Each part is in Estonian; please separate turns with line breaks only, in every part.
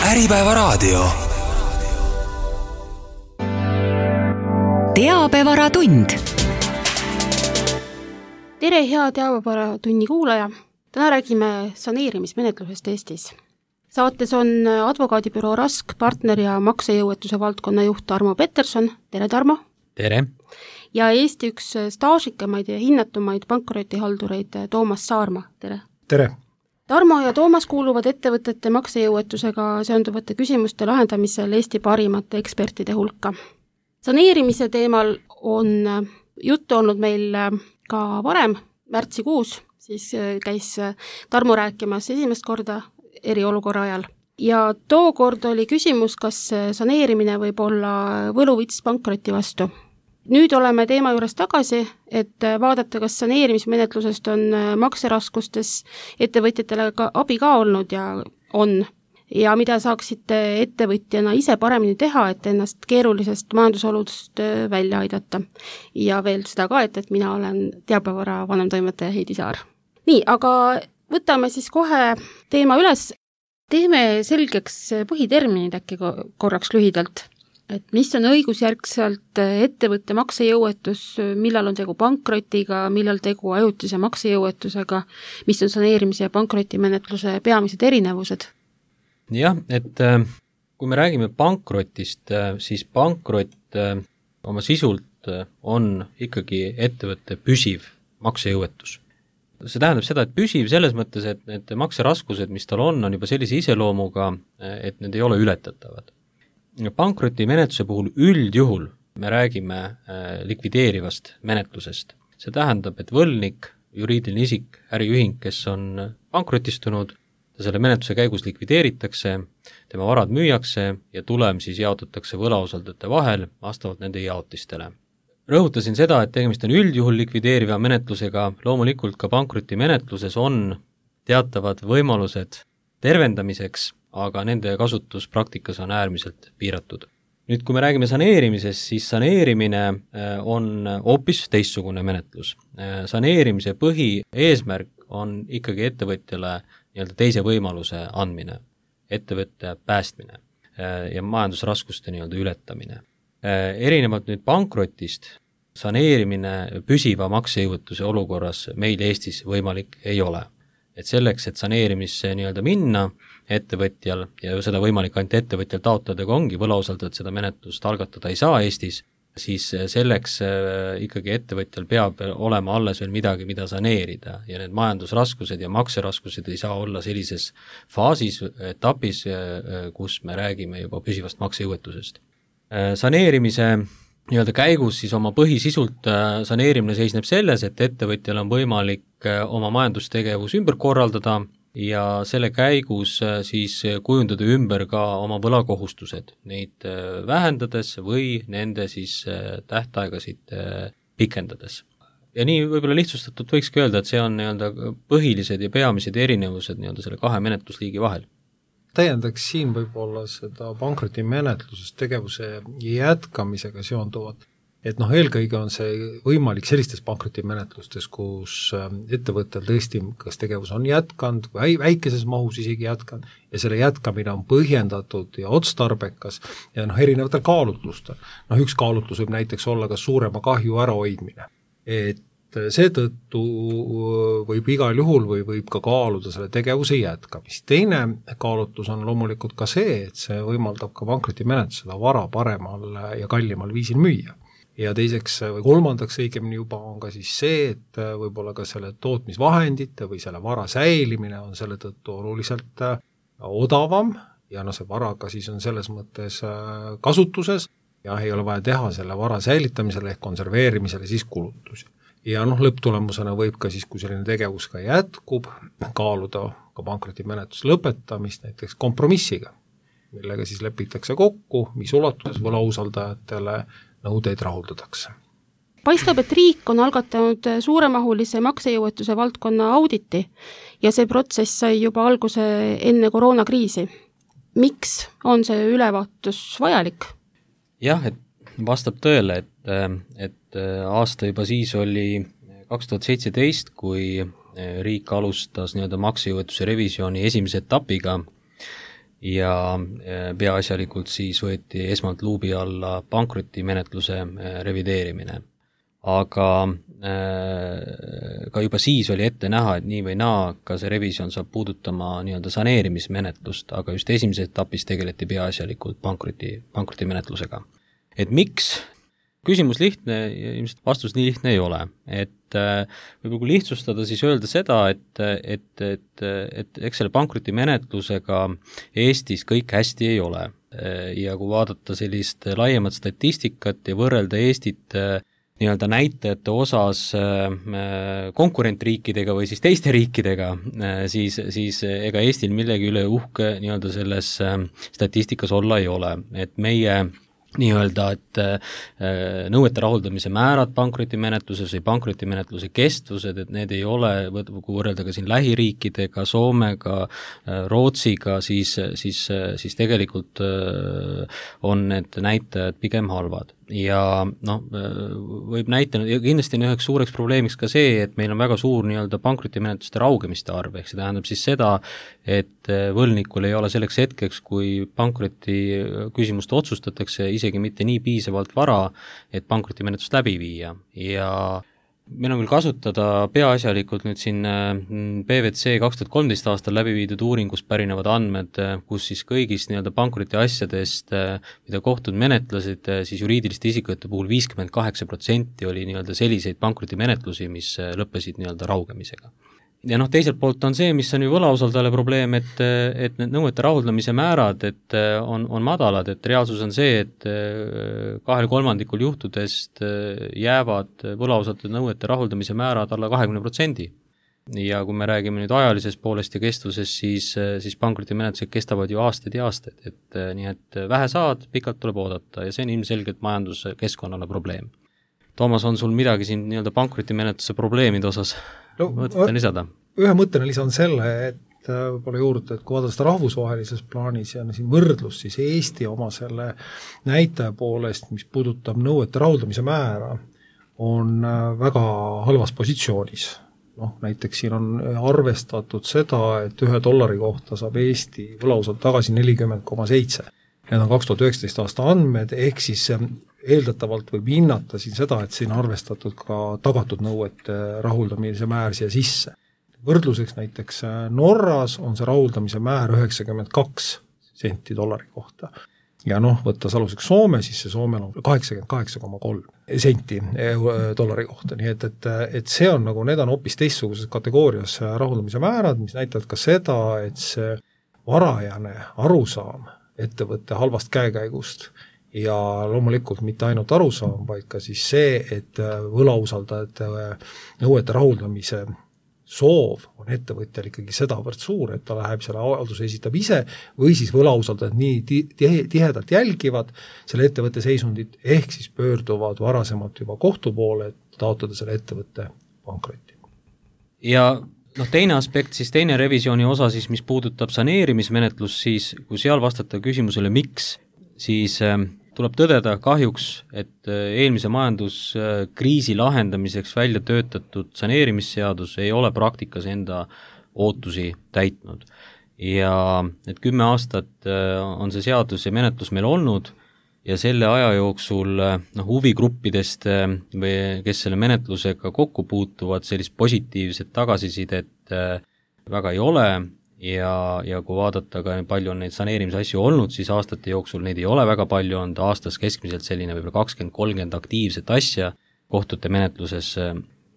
Äripäevaraadio.
Teabevaratund.
Tere, hea Teabevaраtunni kuulaja! Täna räägime saneerimismenetlusest Eestis. Saates on advokaadibüroo Rask partner ja maksejõuetuse valdkonna juht Tarmo Peterson. Tere, Tarmo!
Tere!
Ja Eesti üks staažikamaid ja hinnatumaid pankrotihaldureid Toomas Saarma. Tere!
Tere!
Tarmo ja Toomas kuuluvad ettevõtete maksejõuetusega seonduvate küsimuste lahendamisel Eesti parimate ekspertide hulka. Saneerimise teemal on juttu olnud meil ka varem, märtsikuus, siis käis Tarmo rääkimas esimest korda eriolukorra ajal. Ja tookord oli küsimus, kas saneerimine võib olla võluvits pankroti vastu. Nüüd oleme teema juures tagasi, et vaadata, kas saneerimismenetlusest on makseraskustes ettevõtjatele abi ka olnud ja on. Ja mida saaksite ettevõtjana ise paremini teha, et ennast keerulisest majandusoludest välja aidata. Ja veel seda ka, et mina olen Teabevara vanemtoimetaja Heidi Saar. Nii, aga võtame siis kohe teema üles. Teeme selgeks põhiterminid äkki korraks lühidalt. Et mis on õigusjärgselt ettevõtte maksejõuetus, millal on tegu pankrotiga, millal tegu ajutise maksejõuetusega, mis on saneerimise ja pankrotimenetluse peamised erinevused?
Jah, et kui me räägime pankrotist, siis pankrot oma sisult on ikkagi ettevõtte püsiv maksejõuetus. See tähendab seda, et püsiv selles mõttes, et need makseraskused, mis tal on juba sellise iseloomuga, et need ei ole ületatavad. Pankrotimenetluse puhul üldjuhul me räägime likvideerivast menetlusest. See tähendab, et võlnik, juriidiline isik, äriühing, kes on pankrotistunud, selle menetluse käigus likvideeritakse, tema varad müüakse ja tulem siis jaotatakse võlausaldajate vahel vastavalt nende jaotistele. Rõhutasin seda, et tegemist on üldjuhul likvideeriva menetlusega, loomulikult ka pankrotimenetluses on teatavad võimalused tervendamiseks, aga nende kasutus praktikas on äärmiselt piiratud. Nüüd, kui me räägime saneerimisest, siis saneerimine on hoopis teistsugune menetlus. Saneerimise põhieesmärk on ikkagi ettevõtjale teise võimaluse andmine, ettevõtte päästmine ja majandusraskuste ületamine. Erinevalt nüüd pankrotist, saneerimine püsiva maksejõuetuse olukorras meil Eestis võimalik ei ole. Et selleks, et saneerimisse minna ettevõtjal ja seda võimalik ainult ettevõtjal taotleda, kui ongi võlausaldajad seda menetlust algatada ei saa Eestis, siis selleks ikkagi ettevõtjal peab olema alles veel midagi, mida saneerida ja need majandusraskused ja makseraskused ei saa olla sellises faasis, etapis, kus me räägime juba püsivast maksejõuetusest. Saneerimise käigus siis oma põhisisult saneerimine seisneb selles, et ettevõtjal on võimalik oma majandustegevus ümber korraldada ja selle käigus siis kujundada ümber ka oma võlakohustused, neid vähendades või nende siis tähtaegasid pikendades. Ja nii võib-olla lihtsustatult võikski öelda, et see on põhilised ja peamised erinevused selle kahe menetlusliigi vahel.
Täiendaks siin võib-olla seda pankrotimenetlusest tegevuse jätkamisega seonduvat, et eelkõige on see võimalik sellistes pankrotimenetlustes, kus ettevõttel tõesti kas tegevus on jätkanud või väikeses mahus isegi jätkanud ja selle jätkamine on põhjendatud ja otstarbekas ja erinevatel kaalutlustel. Üks kaalutlus võib näiteks olla ka suurema kahju ärahoidmine, et seetõttu võib igal juhul või võib ka kaaluda selle tegevuse jätkamist. Teine kaalutlus on loomulikult ka see, et see võimaldab ka pankrotimenetlus seda vara paremal ja kallimal viisil müüa. Ja teiseks või kolmandaks õigemini juba on ka siis see, et võib-olla ka selle tootmisvahendite või selle vara säilimine on selle tõttu oluliselt odavam ja see vara ka siis on selles mõttes kasutuses ja ei ole vaja teha selle vara säilitamisele ehk konserveerimisele siis kulutusi. Ja lõpptulemusena võib ka siis, kui selline tegevus ka jätkub, kaaluda ka pankrotimenetluse lõpetamist näiteks kompromissiga, millega siis lepitakse kokku, mis ulatuses võlausaldajatele nõudeid rahuldatakse.
Paistab, et riik on algatanud suuremahulise maksejõuetuse valdkonna auditi ja see protsess sai juba alguse enne koroonakriisi. Miks on see ülevaatus vajalik?
Jah, et vastab tõele, et aasta juba siis oli 2017, kui riik alustas maksejõuetuse revisjoni esimese etapiga ja peaasjalikult siis võeti esmalt luubi alla pankrotimenetluse revideerimine. Aga ka juba siis oli ette näha, et nii või naa, ka see revisjon saab puudutama nii-öelda saneerimismenetlust, aga just esimeses etapis tegeleti peaasjalikult pankrotimenetlusega. Et miks? Küsimus lihtne, ilmselt vastus nii lihtne ei ole. Et võib-olla kui lihtsustada, siis öelda seda, et eks selle pankrotimenetlusega Eestis kõik hästi ei ole. Ja kui vaadata sellist laiemat statistikat ja võrrelda Eestit nii-öelda näitajate osas konkurentriikidega või siis teiste riikidega, siis ega Eestil millegi üle uhke nii-öelda selles statistikas olla ei ole. Et meie nii-öelda, et nõuete rahuldamise määrad pankrotimenetluses või pankrotimenetluse kestvused, et need ei ole, kui võrrelda ka siin lähiriikidega, Soomega, Rootsiga, siis tegelikult on need näitajad pigem halvad. Ja võib näitena, ja kindlasti on üheks suureks probleemiks ka see, et meil on väga suur nii-öelda pankrotimenetluste raugemiste arv, ehk see tähendab siis seda, et võlgnikul ei ole selleks hetkeks, kui pankroti küsimust otsustatakse, isegi mitte nii piisavalt vara, et pankrotimenetlust läbi viia. Ja meil on küll kasutada peaasjalikult nüüd siin PwC 2013 aastal läbi viidud uuringust pärinevad andmed, kus siis kõigist nii-öelda pankroti asjadest, mida kohtud menetlesid, siis juriidiliste isikute puhul 58% oli nii-öelda selliseid pankrotimenetlusi, mis lõppesid nii-öelda raugemisega. Ja teiselt poolt on see, mis on ju võlausaldajale probleem, et need nõuete rahuldamise määrad, et on madalad, et reaalsus on see, et 2/3 juhtudest jäävad võlausaldajate nõuete rahuldamise määrad alla 20%. Ja kui me räägime nüüd ajalisest poolest ja kestvusest, siis pankrotimenetlused kestavad ju aastaid ja aastaid, et nii et vähe saad, pikalt tuleb oodata ja see on ilmselgelt majanduskeskkonnale probleem. Toomas, on sul midagi siin nii-öelda pankrotimenetluse probleemide osas mõtete lisada?
Ühe mõttena lisan selle, et võib-olla juurde, et kui vaadata seda rahvusvahelises plaanis ja siin võrdlus, siis Eesti oma selle näitaja poolest, mis puudutab nõuete rahuldamise määra, on väga halvas positsioonis. Näiteks siin on arvestatud seda, et $1 kohta saab Eesti võlausalt tagasi 40,7. Need on 2019 aasta andmed, ehk siis eeldatavalt võib hinnata siin seda, et siin arvestatud ka tagatud nõuete rahuldamise määr siia sisse. Võrdluseks näiteks Norras on see rahuldamise määr 92 senti $1 kohta. Ja võttes aluseks Soome, siis see Soomel on 88,3 senti $1 kohta. Nii et see on need on hoopis teistsuguses kategoorias rahuldamise määrad, mis näitavad ka seda, et see varajane arusaam ettevõtte halvast käekäigust ja loomulikult mitte ainult arusaam, vaid ka siis see, et võlausaldajate nõuete rahuldamise soov on ettevõtjal ikkagi sedavõrd suur, et ta läheb selle avalduse esitab ise või siis võlausaldajad nii tihedalt jälgivad selle ettevõtte seisundit, ehk siis pöörduvad varasemalt juba kohtu poole, et taotleda selle ettevõtte pankrotti.
Ja teine aspekt, siis teine revisjoni osa, siis mis puudutab saneerimismenetlus, siis kui seal vastata küsimusele miks, siis tuleb tõdeda kahjuks, et eelmise majanduskriisi lahendamiseks välja töötatud saneerimisseadus ei ole praktikas enda ootusi täitnud. Ja et 10 aastat on see seadus ja menetlus meil olnud ja selle aja jooksul huvigruppidest, kes selle menetlusega kokku puutuvad, sellist positiivset tagasisidet väga ei ole ja kui vaadata ka palju on neid saneerimisasju olnud, siis aastate jooksul neid ei ole väga palju olnud, aastas keskmiselt selline võib-olla 20-30 aktiivset asja kohtute menetluses.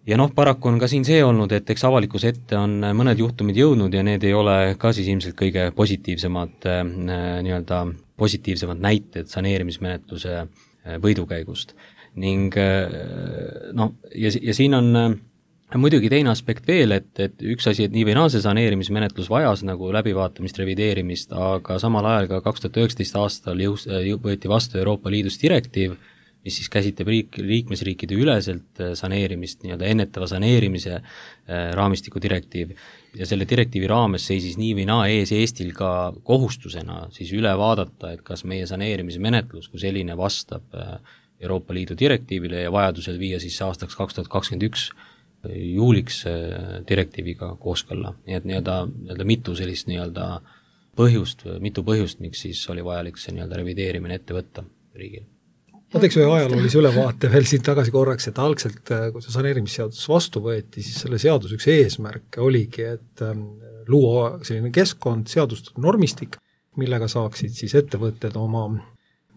Ja paraku on ka siin see olnud, et eks avalikkuse ette on mõned juhtumid jõudnud ja need ei ole ka siis ilmselt kõige positiivsemad näited saneerimismenetluse võidukäigust. Ning ja siin on muidugi teine aspekt veel, et üks asi, et nii või naa see saneerimismenetlus vajas läbivaatamist, revideerimist, aga samal ajal ka 2019 aastal võeti vastu Euroopa Liidus direktiiv, mis siis käsitleb liikmesriikide üleselt saneerimist, nii-öelda ennetava saneerimise raamistiku direktiiv. Ja selle direktiivi raames seisis nii või naa ees Eestil ka kohustusena siis üle vaadata, et kas meie saneerimismenetlus kui selline vastab Euroopa Liidu direktiivile ja vajadusel viia siis aastaks 2021 juuliks direktiiviga kooskõlla. Nii et nii-öelda mitu sellist nii-öelda mitu põhjust, miks siis oli vajalik see nii-öelda revideerimine ette võtta riigil.
Ma teeks ühe ajaloolise ülevaate veel siin tagasi korraks, et algselt, kui see saneerimisseadus vastu võeti, siis selle seaduse üks eesmärk oligi, et luua selline keskkond, seadustatud normistik, millega saaksid siis ettevõtted oma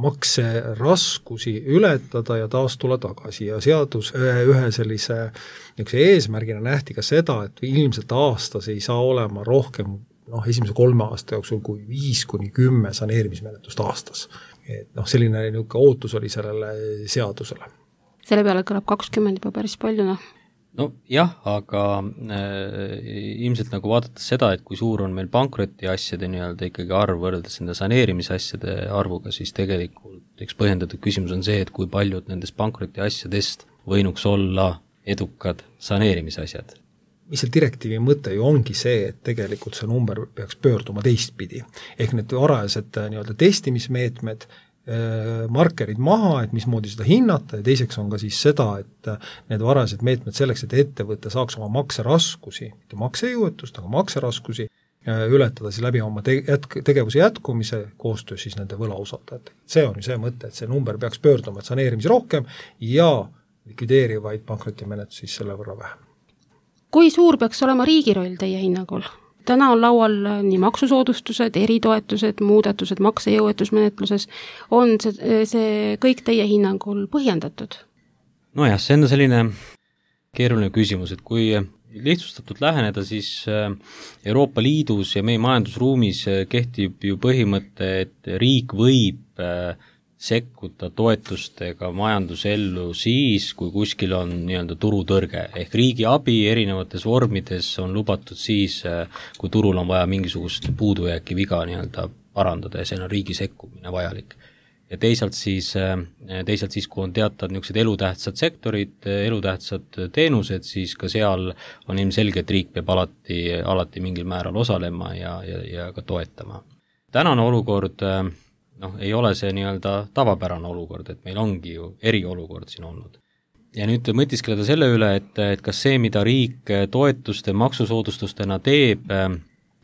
makseraskusi ületada ja taas tulla tagasi ja seadus ühe sellise eesmärgina nähti ka seda, et ilmselt aastas ei saa olema rohkem esimese 3 aasta jooksul kui 5-10 saneerimismenetlust aastas. Et selline ootus oli sellele seadusele.
Selle peale kõlab 20 juba päris palju,
No jah, aga ilmselt nagu vaadates seda, et kui suur on meil pankrotiasjade nii-öelda ikkagi arv võrreldes nende saneerimisasjade arvuga, siis tegelikult üks põhjendatud küsimus on see, et kui paljud nendest pankrotiasjadest võinuks olla edukad saneerimisasjad.
Mis see direktiivi mõte ju ongi see, et tegelikult see number peaks pöörduma teistpidi. Ehk need varajased nii-öelda testimismeetmed, markerid maha, et mismoodi seda hinnata ja teiseks on ka siis seda, et need varajased meetmed selleks, et ettevõte saaks oma makseraskusi, mitte maksejõuetust, aga makseraskusi ületada siis läbi oma tegevuse jätkumise koostöös siis nende võlausaldajatega. See on ju see mõte, et see number peaks pöörduma, et saneerimisi rohkem ja likvideerivaid pankrotimenetlusi siis selle võrra vähem.
Kui suur peaks olema riigi roll teie hinnangul? Täna on laual nii maksusoodustused, eritoetused, muudatused maksejõuetusmenetluses. On see kõik teie hinnangul põhjendatud?
Nojah, see on selline keeruline küsimus, et kui lihtsustatult läheneda, siis Euroopa Liidus ja meie majandusruumis kehtib ju põhimõte, et riik võib sekkuda toetustega majandusellu siis, kui kuskil on nii-öelda turutõrge. Ehk riigi abi erinevates vormides on lubatud siis, kui turul on vaja mingisugust puudujääki viga nii-öelda parandada ja see on riigi sekkumine vajalik. Ja teisalt siis, kui on teatavad niisugused elutähtsad sektorid, elutähtsad teenused, siis ka seal on ilmselge, et riik peab alati mingil määral osalema ja ka toetama. Tänane olukord ei ole see nii-öelda tavapärane olukord, et meil ongi ju eriolukord siin olnud. Ja nüüd mõtiskeleda selle üle, et kas see, mida riik toetuste maksusoodustustena teeb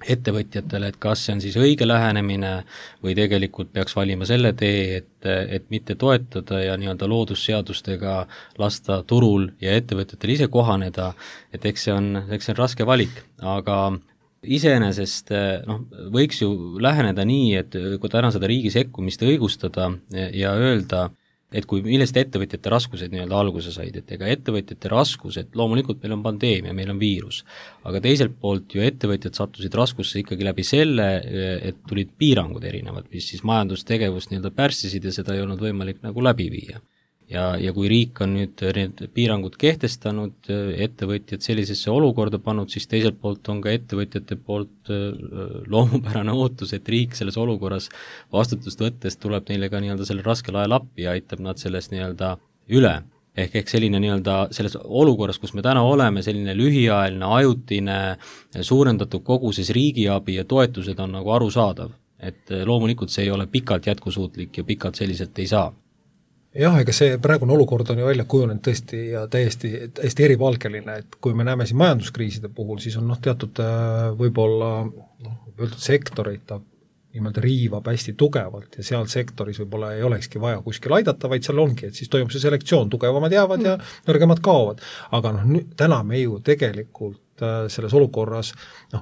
ettevõtjatele, et kas see on siis õige lähenemine või tegelikult peaks valima selle tee, et mitte toetada ja nii-öelda loodusseadustega lasta turul ja ettevõtjatel ise kohaneda, et eks see on raske valik, aga iseenesest võiks ju läheneda nii, et kui täna seda riigi sekkumist õigustada ja öelda, et kui millest ettevõtjate raskused nii-öelda alguse said, et ega ettevõtjate raskused, loomulikult meil on pandeemia, meil on viirus, aga teiselt poolt ju ettevõtjad sattusid raskusse ikkagi läbi selle, et tulid piirangud erinevad, mis siis majandustegevust nii-öelda pärssisid ja seda ei olnud võimalik nagu läbi viia. Ja kui riik on nüüd need piirangud kehtestanud, ettevõtjad sellisesse olukorda pannud, siis teiselt poolt on ka ettevõtjate poolt loomupärane ootus, et riik selles olukorras vastutust võttes tuleb neile ka nii-öelda selle raskel ajal appi ja aitab nad sellest nii-öelda üle. Ehk selline nii-öelda selles olukorras, kus me täna oleme, selline lühiajaline, ajutine, suurendatud koguses riigiabi ja toetused on nagu arusaadav. Et loomulikult see ei ole pikalt jätkusuutlik ja pikalt selliselt ei saa.
Jah, ega see praegune olukord on ju välja kujunenud tõesti ja täiesti erivalgeline, et kui me näeme siin majanduskriiside puhul, siis on teatud võib-olla sektoreid ta nimelt riivab hästi tugevalt ja seal sektoris võib-olla ei olekski vaja kuskil aidata, vaid seal ongi, et siis toimub see selektsioon, tugevamad jäävad ja nõrgemad kaovad. Aga täna me ju tegelikult selles olukorras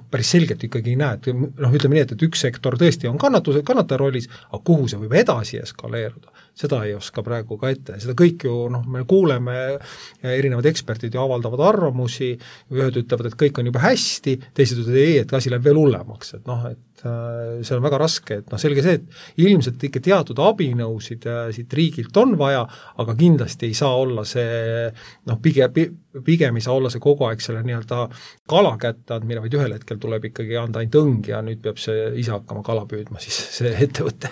päris selgelt ikkagi ei näe, et ütleme nii, et üks sektor tõesti on kannataja rollis, aga kuhu see võib edasi eskaleeruda, seda ei oska praegu ka ette. Seda kõik ju, me kuuleme, erinevad eksperdid ju avaldavad arvamusi, ühed ütlevad, et kõik on juba hästi, teised ütlevad ei, et asi läheb veel hullemaks, et see on väga raske, et selge see, et ilmselt ikka teatud abinõusid siit riigilt on vaja, aga kindlasti ei saa olla see, pigem ei saa olla see kogu aeg selle nii-öelda kala kätte andmine, vaid ühel hetkel tuleb ikkagi anda ainult õng ja nüüd peab see ise hakkama kala püüdma, siis see ettevõte.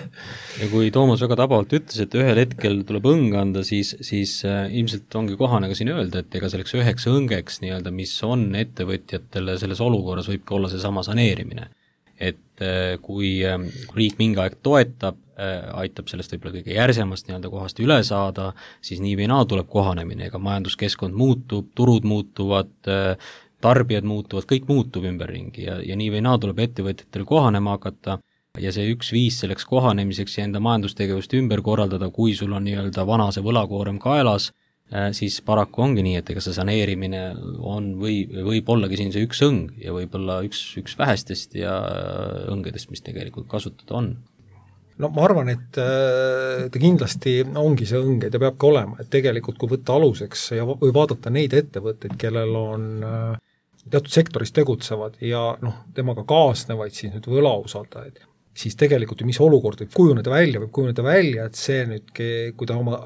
Ja kui Toomas väga tabavalt ütles, et ühel hetkel tuleb õng anda, siis ilmselt ongi kohane ka siin öelda, et ega selleks üheks õngeks nii-öelda, mis on ettevõtjatele selles olukorras, võib ka olla see sama saneerimine. Et kui riik mingi aeg toetab, aitab sellest võib-olla kõige järsemast nii-öelda kohast üle saada, siis nii või naa tuleb kohanemine, ega majanduskeskkond muutub, turud muutuvad, tarbijad muutuvad, kõik muutub ümberringi ja nii või naa tuleb ettevõtjatel kohanema hakata ja see üks viis selleks kohanemiseks ja enda majandustegevust ümber korraldada, kui sul on nii-öelda vana see võlakoorem kaelas, siis paraku ongi nii, et ega see saneerimine on võib ollagi siin see üks õng ja võib-olla üks vähestest ja õngedest, mis tegelikult kasutada on.
No ma arvan, et ta kindlasti ongi see õng, et ta peabki olema, et tegelikult kui võtta aluseks ja või vaadata neid ettevõtteid, kellel on teatud sektoris tegutsevad ja temaga kaasnevaid siis nüüd võlausaldajaid, siis tegelikult mis olukord võib kujuneda välja, et see nüüd, kui ta oma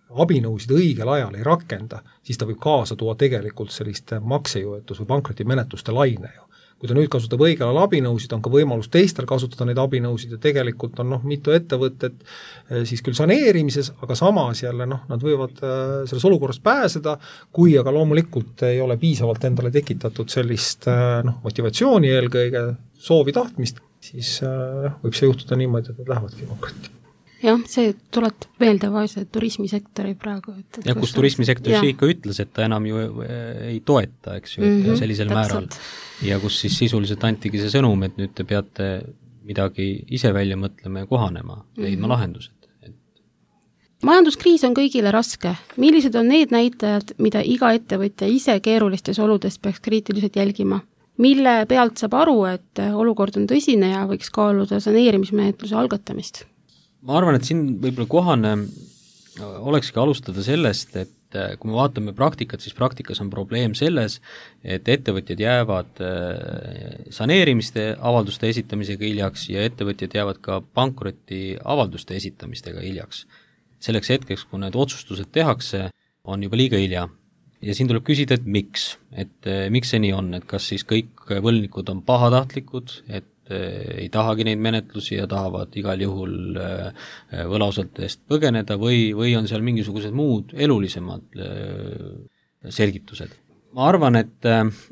abinõusid õigel ajal ei rakenda, siis ta võib kaasa tuua tegelikult selliste maksejõuetus- või pankrotimenetluste laine ju. Kui ta nüüd kasutab õigel ajal abinõusid, on ka võimalus teistel kasutada neid abinõusid ja tegelikult on mitu ettevõtet siis küll saneerimises, aga samas jälle nad võivad selles olukorras pääseda, kui aga loomulikult ei ole piisavalt endale tekitatud sellist motivatsiooni eelkõige, soovi tahtmist, siis võib see juhtuda niimoodi, et nad lähevadki pankrotti.
Jah, see tuletab meelde vaese turismisektori praegu.
Ja kus turismisektori ikka ütles, et ta enam ju ei toeta, eks ju, et sellisel määral. Ja kus siis sisuliselt antigi see sõnum, et nüüd te peate midagi ise välja mõtlema ja kohanema, leidma lahendused.
Majanduskriis on kõigile raske. Millised on need näitajad, mida iga ettevõtja ise keerulistes oludes peaks kriitiliselt jälgima? Mille pealt saab aru, et olukord on tõsine ja võiks kaaluda saneerimismenetluse algatamist?
Ma arvan, et siin võib-olla kohane olekski alustada sellest, et kui me vaatame praktikat, siis praktikas on probleem selles, et ettevõtjad jäävad saneerimiste avalduste esitamisega hiljaks ja ettevõtjad jäävad ka pankroti avalduste esitamistega hiljaks. Selleks hetkeks, kui need otsustused tehakse, on juba liiga hilja. Ja siin tuleb küsida, et miks see nii on, et kas siis kõik võlnikud on pahatahtlikud, et ei tahagi neid menetlusi ja tahavad igal juhul võlausaldajast põgeneda või on seal mingisugused muud elulisemad selgitused. Ma arvan, et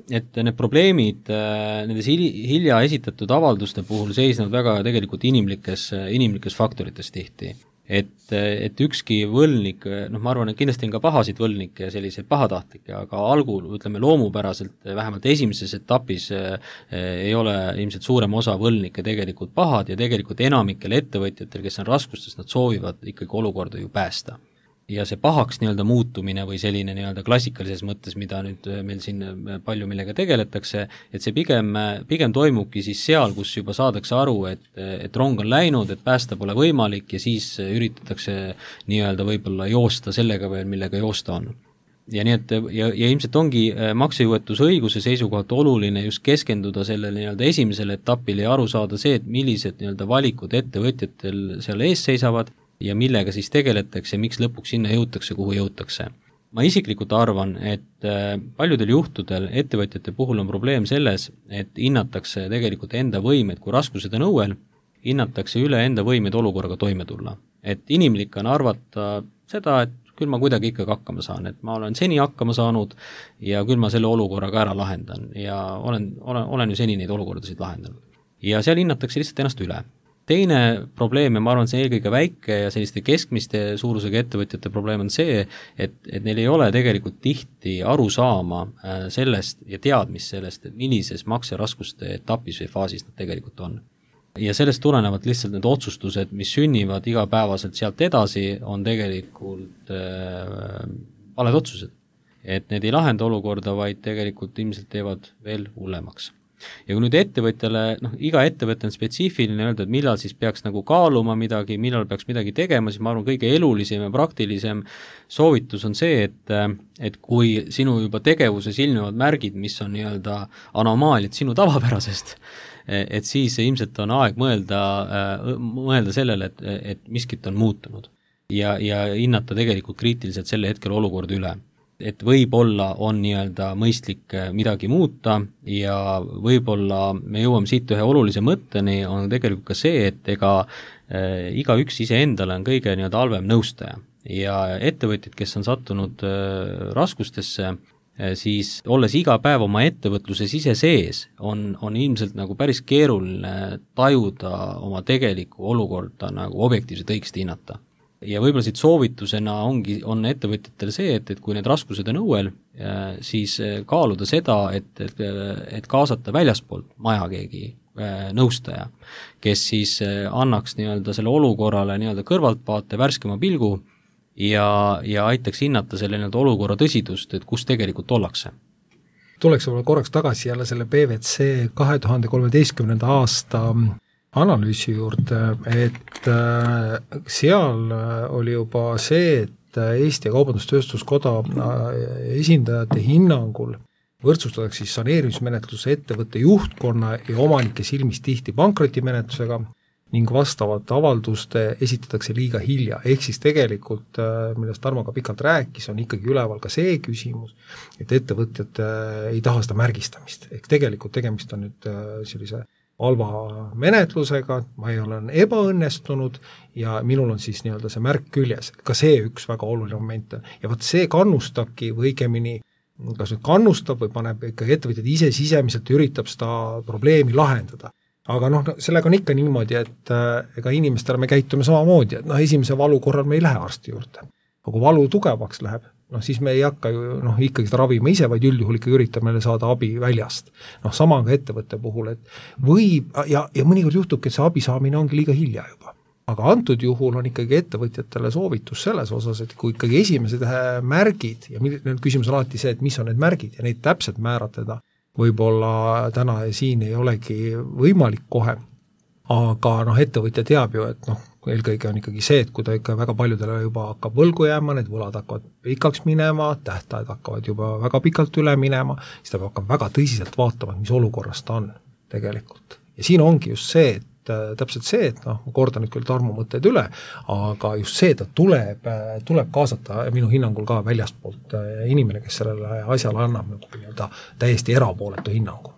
need probleemid nendes hilja esitatud avalduste puhul seisnevad väga tegelikult inimlikes faktorites tihti. Et ükski võlnik, ma arvan, et kindlasti on ka pahasid võlnikke ja selliseid pahatahtlikke, aga algul, ütleme loomupäraselt, vähemalt esimeses etapis ei ole ilmselt suurem osa võlnikke tegelikult pahad ja tegelikult enamikel ettevõtjatel, kes on raskustes, nad soovivad ikkagi olukorda ju päästa. Ja see pahaks nii-öelda muutumine või selline nii-öelda klassikalises mõttes, mida nüüd meil siin palju millega tegeletakse, et see pigem toimubki siis seal, kus juba saadakse aru, et rong on läinud, et päästa pole võimalik ja siis üritatakse nii-öelda võib-olla joosta sellega veel, millega joosta on. Ja nii et ja ilmselt ongi maksejõuetusõiguse seisukohalt oluline just keskenduda sellele nii-öelda esimesele etapile ja aru saada see, et millised nii-öelda valikud ettevõtjatel seal ees seisavad ja millega siis tegeletakse ja miks lõpuks sinna jõutakse, kuhu jõutakse. Ma isiklikult arvan, et paljudel juhtudel ettevõtjate puhul on probleem selles, et hinnatakse tegelikult enda võimed, kui raskused on õuel, hinnatakse üle enda võimed olukorraga toime tulla. Et inimlik on arvata seda, et küll ma kuidagi ikkagi hakkama saan, et ma olen seni hakkama saanud ja küll ma selle olukorraga ära lahendan ja olen ju seni neid olukordasid lahendanud. Ja seal hinnatakse lihtsalt ennast üle. Teine probleem, ja ma arvan, see eelkõige väike ja selliste keskmiste suurusega ettevõtjate probleem on see, et neil ei ole tegelikult tihti aru saama sellest ja teadmist sellest, et millises makseraskuste etapis või faasis nad tegelikult on. Ja sellest tulenevalt lihtsalt need otsustused, mis sünnivad igapäevaselt sealt edasi, on tegelikult valed otsused. Et need ei lahenda olukorda, vaid tegelikult ilmselt teevad veel hullemaks. Ja kui nüüd ettevõtjale, iga ettevõte on spetsiifiline öelda, et millal siis peaks nagu kaaluma midagi, millal peaks midagi tegema, siis ma arvan, kõige elulisem ja praktilisem soovitus on see, et kui sinu juba tegevuses ilmnevad märgid, mis on nii-öelda anomaaliad sinu tavapärasest, et siis ilmselt on aeg mõelda sellele, et miskit on muutunud ja hinnata tegelikult kriitiliselt selle hetkel olukorda üle. Et võib-olla on nii-öelda mõistlik midagi muuta ja võib-olla me jõuame siit ühe olulise mõtteni, on tegelikult ka see, et igaüks iseendale on kõige nii-öelda halvem nõustaja ja ettevõtjad, kes on sattunud raskustesse, siis olles iga päev oma ettevõtluses ise sees, on ilmselt nagu päris keeruline tajuda oma tegelikku olukorda nagu objektiivselt õigesti hinnata. Ja võib-olla siit soovitusena on ettevõtjatel see, et kui need raskused on õuel, siis kaaluda seda, et kaasata väljaspoolt maja keegi nõustaja, kes siis annaks nii-öelda selle olukorrale nii-öelda kõrvaltvaate, värskema pilgu ja aitaks hinnata selle nii-öelda olukorra tõsidust, et kus tegelikult ollakse.
Tuleks võib-olla korraks tagasi jälle selle PVC 2013. aasta analüüsi juurde, et seal oli juba see, et Eesti Kaubandus-Tööstuskoda esindajate hinnangul võrdsustatakse siis saneerimismenetluse ettevõtte juhtkonna ja omanike silmis tihti pankrotimenetlusega ning vastavat avalduste esitatakse liiga hilja. Ehk siis tegelikult, millest Tarmo ka pikalt rääkis, on ikkagi üleval ka see küsimus, et ettevõtjad ei taha seda märgistamist. Ehk tegelikult tegemist on nüüd sellise halva menetlusega, ma ei ole ebaõnnestunud ja minul on siis nii-öelda see märk küljes. Ka see üks väga oluline moment. Ja võt see kannustabki või õigemini, kas nüüd kannustab või paneb ikkagi ettevõtjad ise sisemiselt üritab seda probleemi lahendada. Aga sellega on ikka niimoodi, et ega inimestele me käitume samamoodi, et esimese valu korral me ei lähe arsti juurde. Aga kui valu tugevaks läheb, siis me ei hakka ju ikkagi seda ravima ise, vaid üldjuhul ikka üritab meile saada abi väljast. Sama on ka ettevõtte puhul, et võib, ja mõnikord juhtubki, et see abi saamine ongi liiga hilja juba. Aga antud juhul on ikkagi ettevõtjatele soovitus selles osas, et kui ikkagi esimesed märgid, ja küsimus on alati see, et mis on need märgid ja neid täpselt määratleda, võib-olla täna siin ei olegi võimalik kohe, aga ettevõtja teab ju, et eelkõige on ikkagi see, et kui ta ikka väga paljudele juba hakkab võlgu jääma, need võlad hakkavad pikaks minema, tähtajad hakkavad juba väga pikalt üle minema, siis ta hakkab väga tõsiselt vaatama, mis olukorras ta on tegelikult. Ja siin ongi just see, et täpselt see, et ma kordan nüüd küll Tarmo mõtted üle, aga just see, et ta tuleb kaasata minu hinnangul ka väljastpoolt inimene, kes sellele asjale annab täiesti erapooletu hinnangu.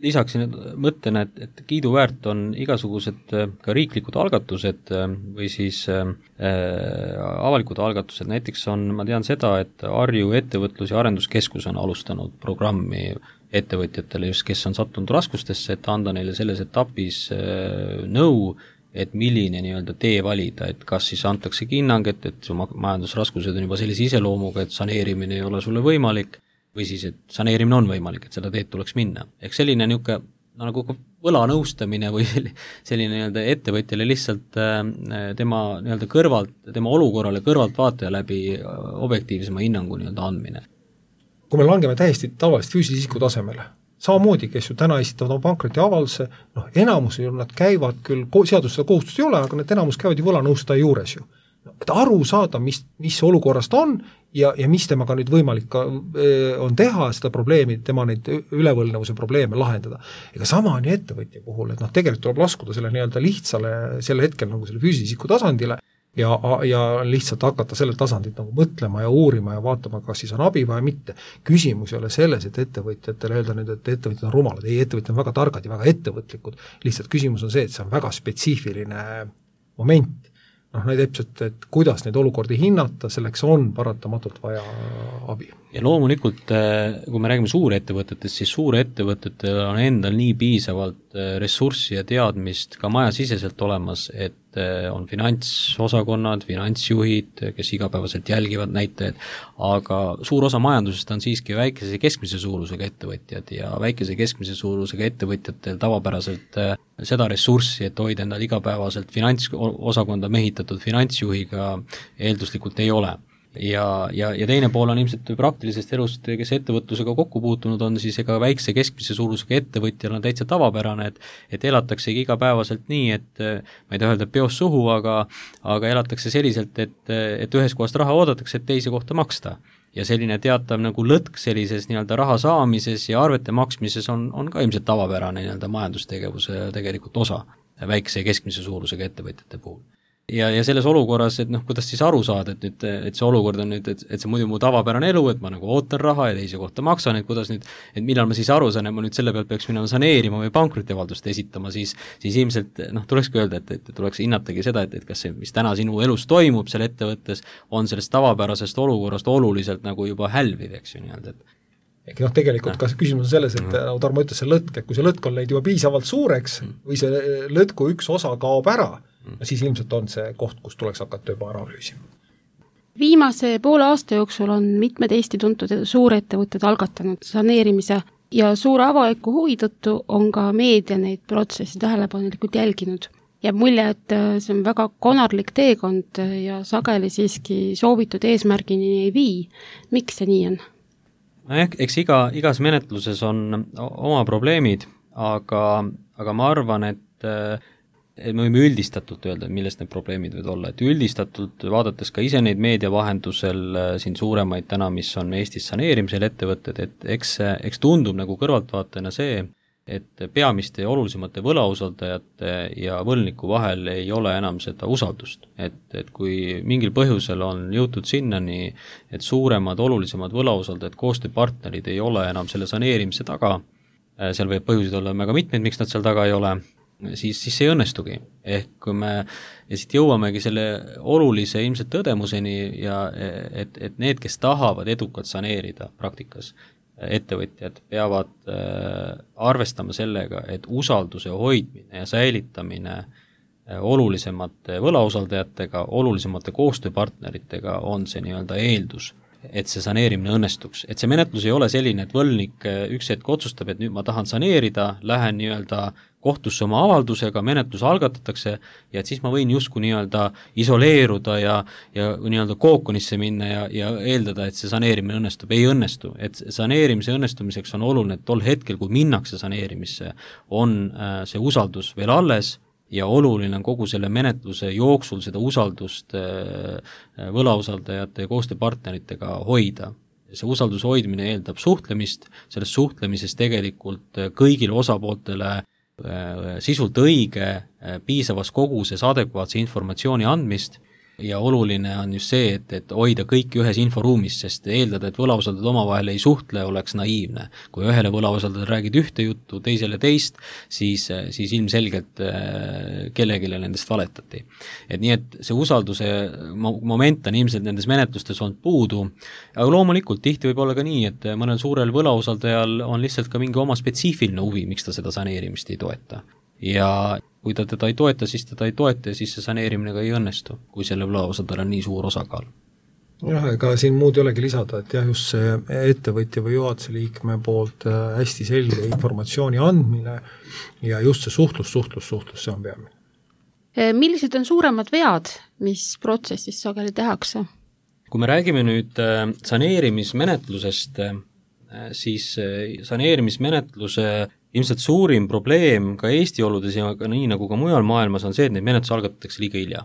Lisaksin mõttena, et kiiduväärt on igasugused ka riiklikud algatused või siis avalikud algatused, näiteks ma tean seda, et Harju ettevõtlus- ja arenduskeskus on alustanud programmi ettevõtjatele just, kes on sattunud raskustesse, et anda neile selles etapis nõu, et milline nii-öelda tee valida, et kas siis antakse hinnang, et su majandusraskused on juba sellise iseloomuga, et saneerimine ei ole sulle võimalik, või siis, et saneerimine on võimalik, et seda teed tuleks minna. Ehk selline niisugune nagu võlanõustamine või selline nii-öelda ettevõtjale lihtsalt tema nii-öelda kõrvalt, tema olukorrale kõrvalt vaataja läbi objektiivsema hinnangu nii-öelda andmine.
Kui me langeme täiesti tavalist füüsilise isiku tasemele, samamoodi, kes ju täna esitavad oma pankroti avalduse, enamus ju nad käivad küll, seadus seda kohustust ei ole, aga need enamus käivad ju võlanõustaja juures ju. Et aru saada, mis olukorrast on ja mis temaga nüüd võimalik on teha seda probleemi, tema neid ülevõlnevuse probleeme lahendada. Ega sama on ju ettevõtja puhul, et tegelikult tuleb laskuda selle nii-öelda lihtsale selle hetkel nagu selle füüsilise isiku tasandile ja lihtsalt hakata sellel tasandil nagu mõtlema ja uurima ja vaatama, kas siis on abi või mitte. Küsimus ei ole selles, et ettevõtjatele öelda nüüd, et ettevõtjad on rumalad. Ei, ettevõtjad on väga targad ja väga ettevõtlikud. Lihtsalt küsimus on see, et see on väga spetsiifiline moment. Täpselt, et kuidas neid olukordi hinnata, selleks on paratamatult vaja abi.
Ja loomulikult, kui me räägime suurettevõtetest, siis suurettevõtetel on endal nii piisavalt ressurssi ja teadmist ka majasiseselt olemas, et on finantsosakonnad, finantsjuhid, kes igapäevaselt jälgivad näitajaid, aga suur osa majandusest on siiski väikese ja keskmise suurusega ettevõtjad ja väikese ja keskmise suurusega ettevõtjatel tavapäraselt seda ressurssi, et hoida endal igapäevaselt finantsosakonda mehitatud finantsjuhiga eelduslikult ei ole. Ja teine pool on ilmselt praktilisest elust, kes ettevõtlusega kokku puutunud on, siis ega väikse keskmise suurusega ettevõtjal on täitsa tavapärane, et elataksegi igapäevaselt nii, et ma ei taha öelda peos suhu, aga elatakse selliselt, et ühes kohast raha oodatakse, et teise kohta maksta. Ja selline teatav nagu lõtk sellises nii-öelda raha saamises ja arvete maksmises on ka ilmselt tavapärane nii-öelda majandustegevuse tegelikult osa väikse ja keskmise suurusega ettevõtjate puhul. Ja selles olukorras, et kuidas siis aru saada, et see olukord on nüüd, et see muidu mu tavapärane elu, et ma nagu ootan raha ja teise kohta maksan, et kuidas nüüd, et millal ma siis aru saan, et ma nüüd selle pealt peaks minema saneerima või pankrotiavaldust esitama, siis ilmselt tulekski öelda, et tuleks hinnatagi seda, et kas see, mis täna sinu elus toimub seal ettevõttes, on sellest tavapärasest olukorrast oluliselt nagu juba hälviv, eks ju nii-öelda, et
tegelikult ka küsimus on selles, et Tarmo ütles see lõtk, et kui see lõtk on leid juba piisavalt suureks või see lõtku üks osa kaob ära, siis ilmselt on see koht, kus tuleks hakata juba analüüsima.
Viimase poole aasta jooksul on mitmed Eesti tuntud suurettevõtted algatanud saneerimise ja suure avaliku huvi tõttu on ka meedia neid protsessi tähelepanelikult jälginud. Jääb mulje, et see on väga konarlik teekond ja sageli siiski soovitud eesmärgini ei vii. Miks see nii on?
Eks igas menetluses on oma probleemid, aga ma arvan, et me võime üldistatult öelda, millest need probleemid võivad olla, et üldistatult vaadates ka ise neid meedia vahendusel siin suuremaid täna, mis on Eestis saneerimisel ettevõtted, et eks tundub nagu kõrvaltvaatajana see, et peamiste ja olulisemate võlausaldajate ja võlniku vahel ei ole enam seda usaldust. Et kui mingil põhjusel on jõutud sinnani, et suuremad, olulisemad võlausaldajad, koostööpartnerid ei ole enam selle saneerimise taga, seal võib põhjuseid olla väga mitmeid, miks nad seal taga ei ole, siis see ei õnnestugi. Ehk kui me siit jõuamegi selle olulise ilmselt tõdemuseni ja et need, kes tahavad edukalt saneerida praktikas, ettevõtjad peavad arvestama sellega, et usalduse hoidmine ja säilitamine olulisemate võlausaldajatega, olulisemate koostööpartneritega on see nii-öelda eeldus, et see saneerimine õnnestuks. Et see menetlus ei ole selline, et võlnik üks hetk otsustab, et nüüd ma tahan saneerida, lähen nii-öelda kohtusse oma avaldusega, menetlus algatatakse ja et siis ma võin justkui nii-öelda isoleeruda ja nii-öelda kookonisse minna ja eeldada, et see saneerimine õnnestub. Ei õnnestu. Et saneerimise õnnestumiseks on oluline, et tol hetkel, kui minnakse saneerimisse, on see usaldus veel alles ja oluline on kogu selle menetluse jooksul seda usaldust võlausaldajate ja koostööpartneritega hoida. See usalduse hoidmine eeldab suhtlemist, selles suhtlemises tegelikult kõigile osapooltele sisult õige, piisavas koguses adekvaatse informatsiooni andmist ja oluline on just see, et hoida kõiki ühes inforuumis, sest eeldada, et võlausaldajad omavahel ei suhtle, oleks naiivne. Kui ühele võlausaldajale räägid ühte juttu, teisele teist, siis ilmselgelt kellegile nendest valetati. Et nii, et see usalduse moment on ilmselt nendes menetlustes olnud puudu, aga loomulikult tihti võib olla ka nii, et mõnel suurel võlausaldajal on lihtsalt ka mingi oma spetsiifiline huvi, miks ta seda saneerimist ei toeta. Ja kui ta teda ei toeta, siis teda ei toeta ja siis see saneerimine ka ei õnnestu, kui selle võlausaldajal on nii suur osakaal.
Jah, ega siin muud ei olegi lisada, et jah, just see ettevõtja või juhatuse liikme poolt hästi selge informatsiooni andmine ja just see suhtlus, see on peamine.
Millised on suuremad vead, mis protsessis sageli tehakse?
Kui me räägime nüüd saneerimismenetlusest, siis saneerimismenetluse ilmselt suurim probleem ka Eesti oludes ja ka nii nagu ka mujal maailmas on see, et neid menetlus algatatakse liiga hilja.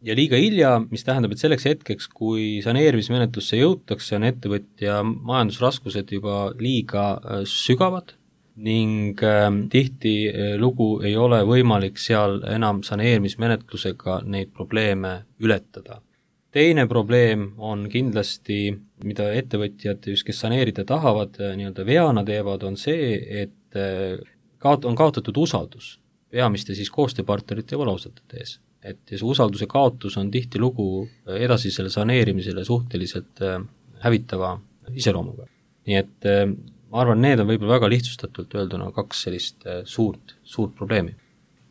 Ja liiga hilja, mis tähendab, et selleks hetkeks, kui saneerimismenetlusse jõutakse, on ettevõtja majandusraskused juba liiga sügavad ning tihti lugu ei ole võimalik seal enam saneerimismenetlusega neid probleeme ületada. Teine probleem on kindlasti, mida ettevõtjad, just kes saneerida tahavad, nii-öelda veana teevad, on see, et on kaotatud usaldus peamiste siis koostööpartnerite ja võlausaldajate ees. Et see usalduse kaotus on tihti lugu edasisele saneerimisele suhteliselt hävitava iseloomuga. Nii et ma arvan, need on võib-olla väga lihtsustatult öelduna kaks sellist suurt probleemi.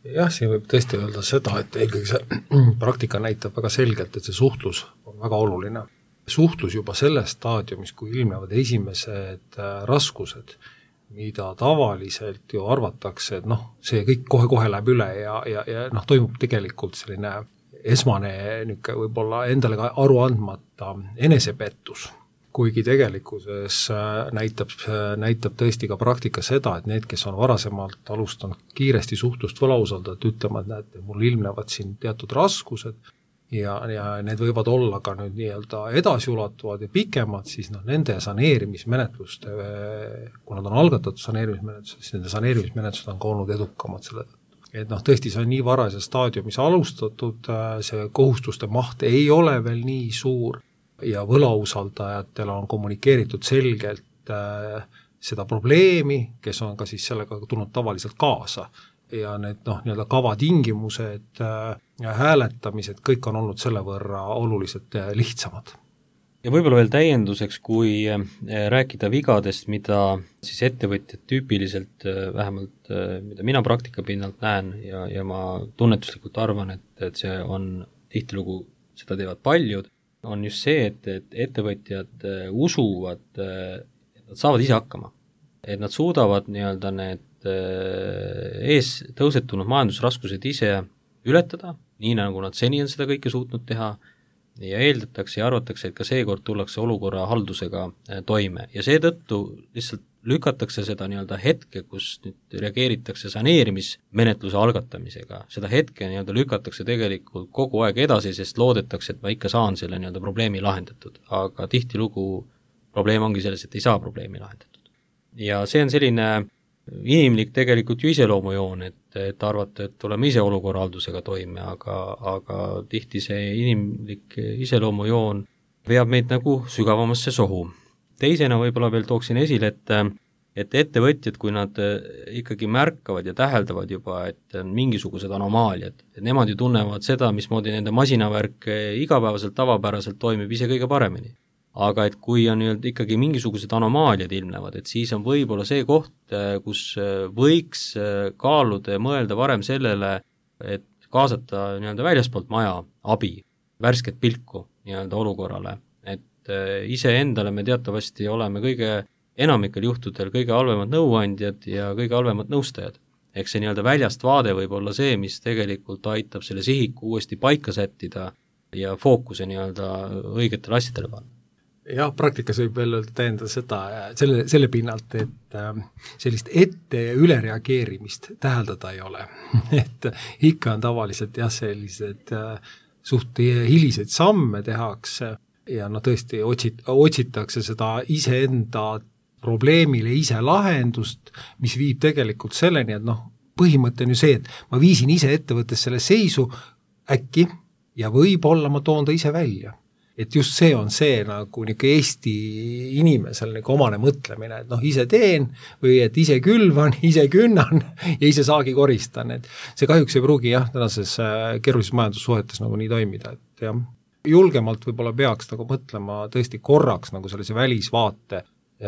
Jah, siin võib tõesti öelda seda, et eelkõige see praktika näitab väga selgelt, et see suhtlus on väga oluline. Suhtlus juba selles staadiumis, kui ilmnevad esimesed raskused, mida tavaliselt ju arvatakse, et see kõik kohe läheb üle ja toimub tegelikult selline esmane võib-olla endale ka aru andmata enesepettus, kuigi tegelikkuses näitab tõesti ka praktika seda, et need, kes on varasemalt alustanud kiiresti suhtlust võlausaldajat, ütlema, et näete, mul ilmnevad siin teatud raskused ja need võivad olla ka nüüd nii-öelda edasiulatuvad ja pikemad, siis nende saneerimismenetluste, kui nad on algatatud saneerimismenetlused, siis nende saneerimismenetlused on ka olnud edukamad selle. Et tõesti see on nii varases staadiumis alustatud, see kohustuste maht ei ole veel nii suur ja võlausaldajatele on kommunikeeritud selgelt seda probleemi, kes on ka siis sellega tulnud tavaliselt kaasa ja need nii-öelda kavatingimused ja hääletamised, kõik on olnud selle võrra oluliselt lihtsamad.
Ja võib-olla veel täienduseks, kui rääkida vigadest, mida siis ettevõtjad tüüpiliselt, vähemalt mida mina praktika pinnalt näen ja ma tunnetuslikult arvan, et see on tihtilugu, seda teevad paljud, on just see, et ettevõtjad usuvad, et nad saavad ise hakkama. et nad suudavad nii-öelda need ees tõusetunud majandusraskused ise ületada, nii nagu nad seni on seda kõike suutnud teha, ja eeldatakse ja arvatakse, et ka seekord tullakse olukorra haldusega toime ja seetõttu lihtsalt lükatakse seda nii-öelda hetke, kus nüüd reageeritakse saneerimismenetluse algatamisega, seda hetke nii-öelda lükatakse tegelikult kogu aeg edasi, sest loodetakse, et ma ikka saan selle nii-öelda probleemi lahendatud, aga tihtilugu probleem ongi selles, et ei saa probleemi lahendatud. Ja see on selline inimlik tegelikult ju iseloomujoon, et arvata, et tuleme ise olukorrahaldusega toime, aga tihti see inimlik iseloomujoon veab meid nagu sügavamasse sohu. Teisena võib-olla veel tooksin esile, et ettevõtjad, kui nad ikkagi märkavad ja täheldavad juba, et on mingisugused anomaaliad, et nemad ju tunnevad seda, mismoodi nende masinavärk igapäevaselt tavapäraselt toimib ise kõige paremini. Aga et kui on ikkagi mingisugused anomaaliad ilmnevad, et siis on võib-olla see koht, kus võiks kaaluda ja mõelda varem sellele, et kaasata väljaspoolt maja abi, värsket pilku olukorrale, et ise endale me teatavasti oleme kõige enamikel juhtudel kõige halvemad nõuandjad ja kõige halvemad nõustajad. Eks see väljast vaade võib olla see, mis tegelikult aitab selle sihiku uuesti paika sättida ja fookuse õigetele asjadele panna.
Jah, praktikas võib veel tähendada seda, selle pinnalt, et sellist ette- ja ülereageerimist täheldada ei ole. Et ikka on tavaliselt sellised suht hiliseid samme tehakse ja tõesti otsitakse seda iseenda probleemile ise lahendust, mis viib tegelikult selleni, et põhimõte on ju see, et ma viisin ise ettevõttes selle seisu äkki ja võib-olla ma toon ta ise välja. Et just see on see nagu Eesti inimesel nagu omane mõtlemine, et ise teen või et ise külvan, ise künnan ja ise saagi koristan. Et see kahjuks ei pruugi tänases keerulises majandussuhetes nagu nii toimida, et julgemalt võib-olla peaks nagu mõtlema tõesti korraks nagu sellise välisvaate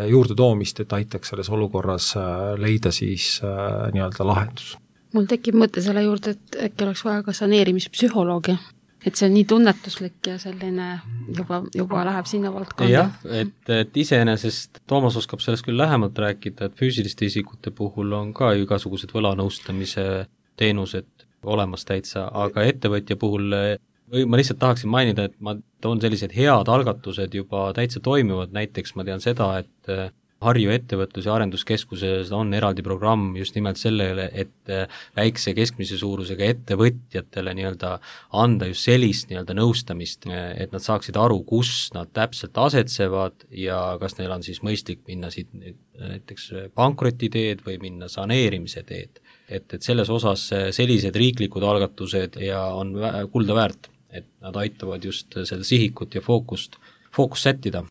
juurde toomist, et aitaks selles olukorras leida siis nii-öelda lahendus.
Mul tekib mõte selle juurde, et äkki oleks vaja ka saneerimispsühholoogia. Et see on nii tunnetuslik ja selline juba läheb sinna valdkonda.
Jah, et iseenesest Toomas oskab sellest küll lähemalt rääkida, et füüsiliste isikute puhul on ka igasugused võlanõustamise teenused olemas täitsa, aga ettevõtja puhul ma lihtsalt tahaksin mainida, et ma toon sellised head algatused juba täitsa toimivad, näiteks ma tean seda, et Harju ettevõtlus- ja arenduskeskuses on eraldi programm just nimelt sellele, et väikse keskmise suurusega ettevõtjatele anda just sellist nõustamist, et nad saaksid aru, kus nad täpselt asetsevad ja kas neil on siis mõistlik minna siit näiteks pankrotiteed või minna saneerimise teed. Et selles osas sellised riiklikud algatused ja on kulda väärt, et nad aitavad just seda sihikut ja fookust sättida.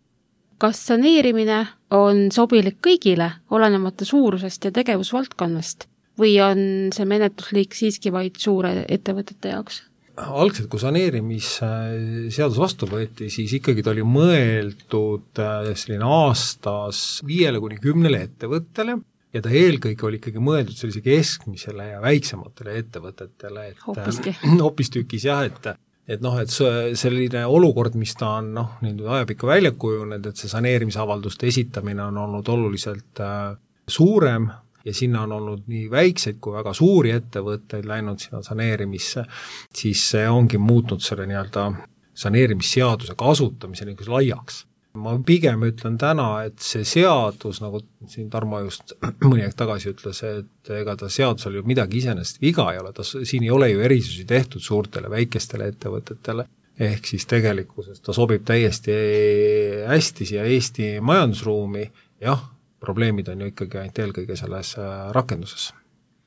Kas saneerimine on sobilik kõigile, olenemata suurusest ja tegevusvaldkonnast, või on see menetlusliik siiski vaid suure ettevõtete jaoks?
Algselt, kui saneerimisseadus vastu võeti, siis ikkagi ta oli mõeldud selline aastas 5–10 ettevõttele ja ta eelkõige oli ikkagi mõeldud sellise keskmisele ja väiksematele ettevõtetele, et hoopistükis et selline olukord, mis ta on ajapikku välja kujunenud, et see saneerimisavalduste esitamine on olnud oluliselt suurem ja sinna on olnud nii väikseid kui väga suuri ettevõtteid läinud sinna saneerimisse, siis see ongi muutnud selle saneerimisseaduse kasutamise laiaks. Ma pigem ütlen täna, et see seadus, nagu siin Tarmo just mõni aeg tagasi ütles, et ega ta seadusel ju midagi iseenesest viga ei ole, siin ei ole ju erisusi tehtud suurtele väikestele ettevõtetele, ehk siis tegelikkuses ta sobib täiesti hästi siia Eesti majandusruumi, probleemid on ju ikkagi ainult eelkõige selles rakenduses.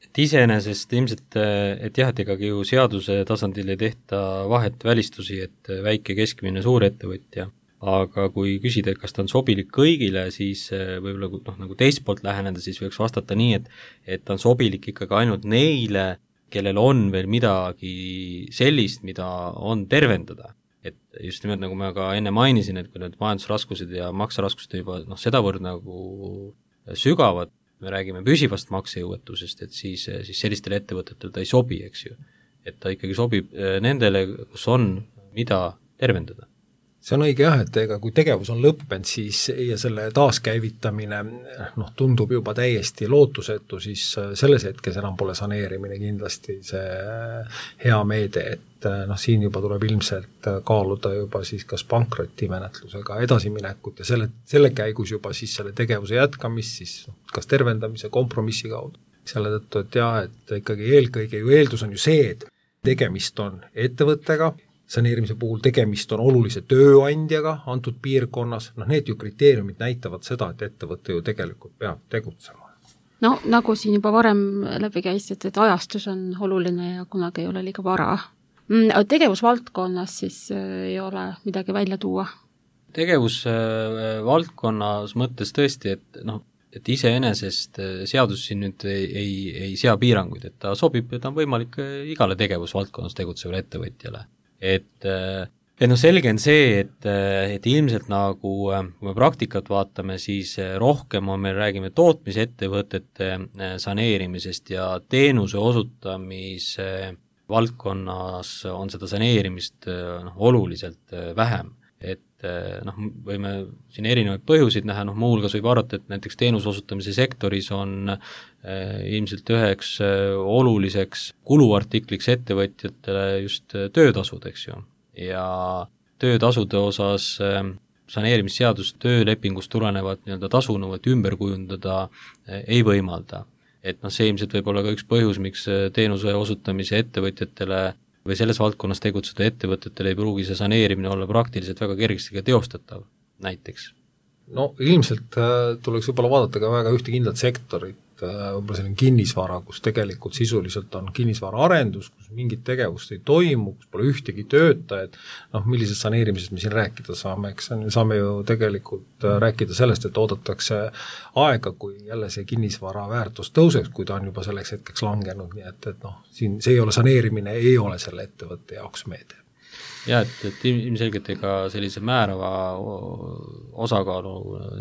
Et iseenesest ilmselt, et ikkagi ju seaduse tasandil ei tehta vahet välistusi, et väike, keskmine, suur ettevõtja, aga kui küsida, et kas ta on sobilik kõigile, siis võib-olla nagu teist poolt läheneda, siis võiks vastata nii, et ta on sobilik ikkagi ainult neile, kellel on veel midagi sellist, mida on tervendada. Et just nimelt nagu ma ka enne mainisin, et kui need majandusraskused ja makseraskused juba sedavõrd nagu sügavad, me räägime püsivast maksejõuetusest, et siis sellistele ettevõtetele ta ei sobi, eks ju. Et ta ikkagi sobib nendele, kus on mida tervendada.
see on õige jah, et ega kui tegevus on lõppenud, siis ja selle taaskäivitamine tundub juba täiesti lootusetu, siis selles hetkes enam pole saneerimine kindlasti see hea meede, et siin juba tuleb ilmselt kaaluda juba siis kas pankrotimenetlusega edasiminekut ja selle käigus juba siis selle tegevuse jätkamist siis kas tervendamise kompromissi kaudu. Selle tõttu, et jah, et ikkagi eelkõige ju eeldus on ju see, et tegemist on ettevõttega, saneerimise puhul tegemist on olulise tööandjaga antud piirkonnas, need ju kriteeriumid näitavad seda, et ettevõte ju tegelikult peab tegutsema.
No nagu siin juba varem läbi käis, et ajastus on oluline ja kunagi ei ole liiga vara. Tegevusvaldkonnas siis ei ole midagi välja tuua?
Tegevusvaldkonnas mõttes tõesti, et iseenesest seadus siin nüüd ei sea piiranguid, et ta sobib ja ta on võimalik igale tegevusvaldkonnas tegutsevale ettevõtjale. Et selge on see, et ilmselt nagu, kui me praktikat vaatame, siis rohkem on meil, räägime tootmisettevõtete saneerimisest ja teenuse osutamise valdkonnas on seda saneerimist oluliselt vähem. Et võime siin erinevaid põhjuseid näha, muuhulgas võib arvata, et näiteks teenuse osutamise sektoris on ilmselt üheks oluliseks kuluartikliks ettevõtjatele just töötasud, eks ju. Ja töötasude osas saneerimisseadus töölepingust tulenevat tasunõuet ümber kujundada ei võimalda. Et see ilmselt võib olla ka üks põhjus, miks teenuse osutamise ettevõtjatele või selles valdkonnas tegutseda ettevõtetele ei pruugi see saneerimine olla praktiliselt väga kergesti ka teostatav, näiteks.
Ilmselt tuleks võib-olla vaadata ka väga ühte kindlat sektorit, võib-olla selline kinnisvara, kus tegelikult sisuliselt on kinnisvara arendus, kus mingit tegevust ei toimu, kus pole ühtegi töötajat, millisest saneerimisest me siin rääkida saame, eks saame ju tegelikult rääkida sellest, et oodatakse aega, kui jälle see kinnisvara väärtus tõuseks, kui ta on juba selleks hetkeks langenud, nii et siin see ei ole saneerimine, ei ole selle ettevõtte jaoks meede.
Ja, et ilmselgelt ega sellise määrava osakaalu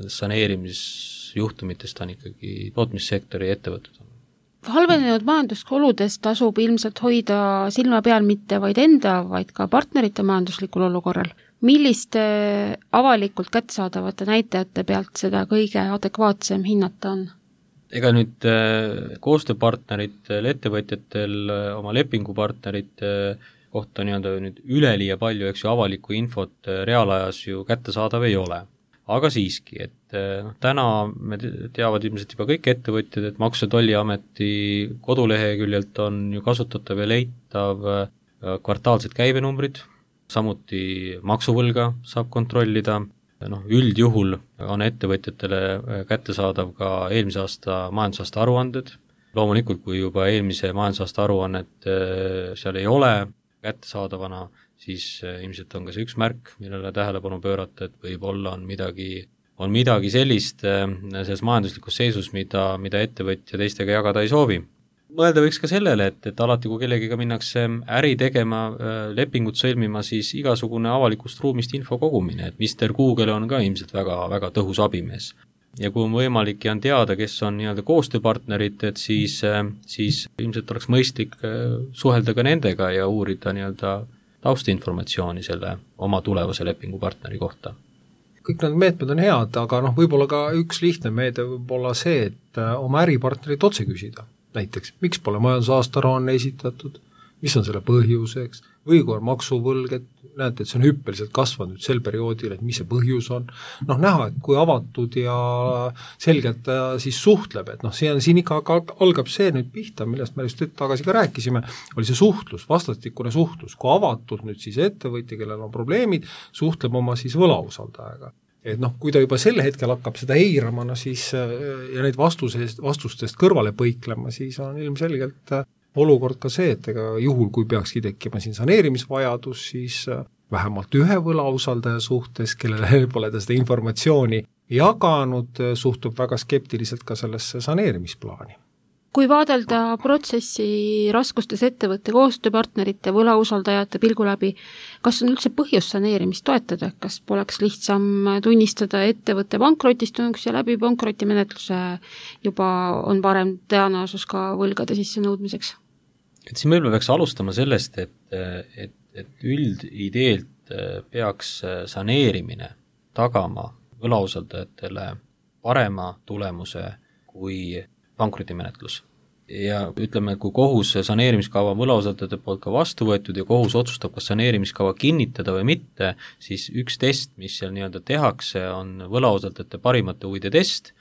saneerimisjuhtumitest on ikkagi tootmissektori ettevõtted.
Halvenenud majandusoludes tasub ilmselt hoida silma peal mitte vaid enda, vaid ka partnerite majanduslikul olukorral. Milliste avalikult kättesaadavate näitajate pealt seda kõige adekvaatsem hinnata on?
Ega nüüd koostööpartneritel, ettevõtjatel, oma lepingupartnerite kohta nüüd üleliia palju, eks ju, avalikku infot reaalajas ju kättesaadav ei ole. Aga siiski, et täna me teavad ilmselt juba kõik ettevõtjad, et Maksu- ja Tolliameti koduleheküljelt on ju kasutatav ja leitav kvartaalsed käibenumbrid, samuti maksuvõlga saab kontrollida, üldjuhul on ettevõtjatele kättesaadav ka eelmise aasta majandusaasta aruanded, loomulikult kui juba eelmise majandusaasta aruannet seal ei ole kättesaadavana, siis ilmselt on ka see üks märk, millele tähelepanu pöörata, et võib-olla on midagi sellist selles majanduslikus seisus, mida ettevõtja teistega jagada ei soovi. Mõelda võiks ka sellele, et alati, kui kellegiga minnakse äri tegema, lepingut sõlmima, siis igasugune avalikust ruumist info kogumine, et Mr. Google on ka ilmselt väga, väga tõhus abimees. Ja kui on võimalik ja on teada, kes on koostööpartnerid, et siis ilmselt oleks mõistlik suhelda ka nendega ja uurida taustinformatsiooni selle oma tulevase lepingupartneri kohta.
Kõik need meetmed on head, aga võib-olla ka üks lihtne meede võib olla see, et oma äripartnerit otse küsida. Näiteks, miks pole majandusaasta-aruanne esitatud, mis on selle põhjuseks, või kui on maksuvõlg, et näete, et see on hüppeliselt kasvanud sel perioodil, et mis see põhjus on. Näha, et kui avatud ja selgelt siis suhtleb, et siin ikka algab see nüüd pihta, millest me just tagasi ka rääkisime, oli see suhtlus, vastastikune suhtlus, kui avatud nüüd siis ettevõtja, kellel on probleemid, suhtleb oma siis võlausaldajaga. Et kui ta juba selle hetkel hakkab seda eirama, siis ja neid vastustest kõrvale põiklema, siis on ilmselgelt olukord ka see, et ega juhul, kui peakski tekkima siin saneerimisvajadus, siis vähemalt ühe võlausaldaja suhtes, kellele pole ta seda informatsiooni jaganud, suhtub väga skeptiliselt ka sellesse saneerimisplaani.
Kui vaadelda protsessi raskustes ettevõtte koostööpartnerite võlausaldajate pilgu läbi, kas on üldse põhjus saneerimist toetada? Kas poleks lihtsam tunnistada ettevõtte pankrotistunuks ja läbi pankrotimenetluse juba on parem tõenäosus ka võlgade sisse nõudmiseks?
et siin võib-olla peaks alustama sellest, et üldideelt peaks saneerimine tagama võlausaldajatele parema tulemuse kui pankrotimenetlus. Ja ütleme, kui kohus saneerimiskava võlausaldajate poolt ka vastu võetud ja kohus otsustab, kas saneerimiskava kinnitada või mitte, siis üks test, mis seal nii-öelda tehakse, on võlausaldajate parimate huvide test,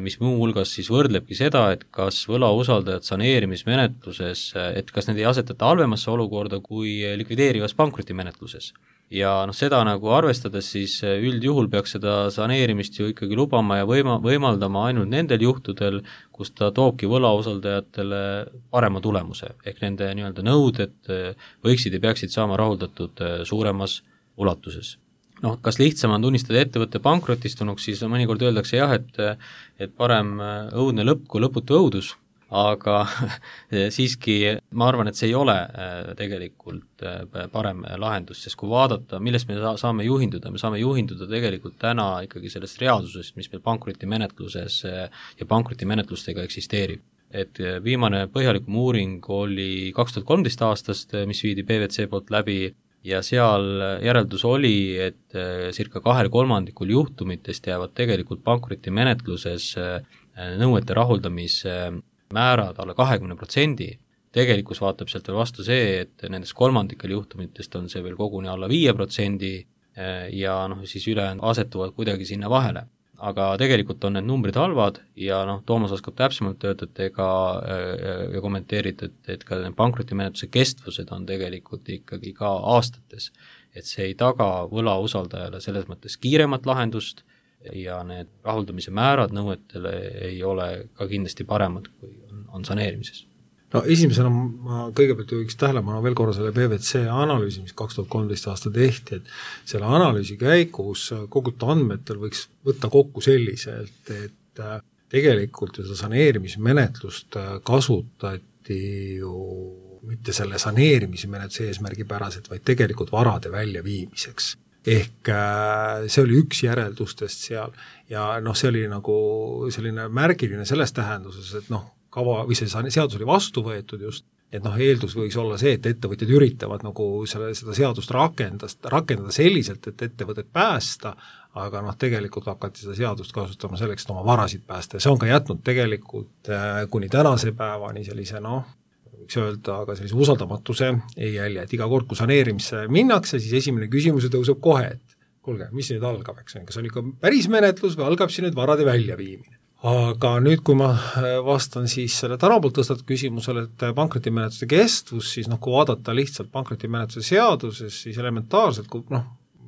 mis muu hulgas siis võrdlebki seda, et kas võlausaldajad saneerimismenetluses, et kas need ei asetata halvemasse olukorda kui likvideerivas pankrotimenetluses. Ja seda nagu arvestades siis üldjuhul peaks seda saneerimist ju ikkagi lubama ja võimaldama ainult nendel juhtudel, kus ta toobki võlausaldajatele parema tulemuse, ehk nende nii-öelda nõuded võiksid ja peaksid saama rahuldatud suuremas ulatuses. Kas lihtsam on tunnistada ettevõtte pankrotistunuks, siis mõnikord öeldakse jah, et parem õudne lõpp kui lõputu õudus, aga siiski ma arvan, et see ei ole tegelikult parem lahendus, sest kui vaadata, millest me saame juhinduda tegelikult täna ikkagi sellest reaalsusest, mis meil pankrotimenetluses ja pankrotimenetlustega eksisteerib. Et viimane põhjalikum uuring oli 2013 aastast, mis viidi PwC poolt läbi, ja seal järeldus oli, et circa 2/3 juhtumitest jäävad tegelikult pankrotimenetluses nõuete rahuldamise määrad alla 20%. Tegelikkus vaatab sealt veel vastu see, et nendest 3% juhtumitest on see veel koguni alla 5% ja siis ülejäänud asetuvad kuidagi sinna vahele. Aga tegelikult on need numbrid halvad ja Toomas oskab täpsemalt öelda, ja kommenteerida, et ka pankrotimenetluse kestvused on tegelikult ikkagi ka aastates, et see ei taga võlausaldajale selles mõttes kiiremat lahendust ja need rahuldamise määrad nõuetele ei ole ka kindlasti paremad, kui on saneerimises.
Esimesena ma kõigepealt juhiks tähelepanu veel korra selle PwC analüüsi, mis 2013 aasta tehti, et selle analüüsi käigus kogutud andmetel võiks võtta kokku selliselt, et tegelikult seda saneerimismenetlust kasutati ju mitte selle saneerimismenetluse eesmärgipäraselt, vaid tegelikult varade väljaviimiseks. Ehk see oli üks järeldustest seal ja see oli nagu selline märgiline selles tähenduses, et kava või see seadus oli vastu võetud just, et eeldus võiks olla see, et ettevõtjad üritavad nagu seda seadust rakendada selliselt, et ettevõtet päästa, aga tegelikult hakati seda seadust kasutama selleks, et oma varasid päästa ja see on ka jätnud tegelikult kuni tänase päevani sellise võiks öelda, aga sellise usaldamatuse ei jälje, et iga kord, kui saneerimisse minnakse, siis esimene küsimus tõuseb kohe, et kuulge, mis nüüd algab, kas on ikka päris menetlus või algab siin nüüd varade väljaviimine. Aga nüüd, kui ma vastan siis selle täna poolt tõstatud küsimusele, et pankrotimenetluse kestvus, siis kui vaadata lihtsalt pankrotimenetluse seaduses, siis elementaarselt, kui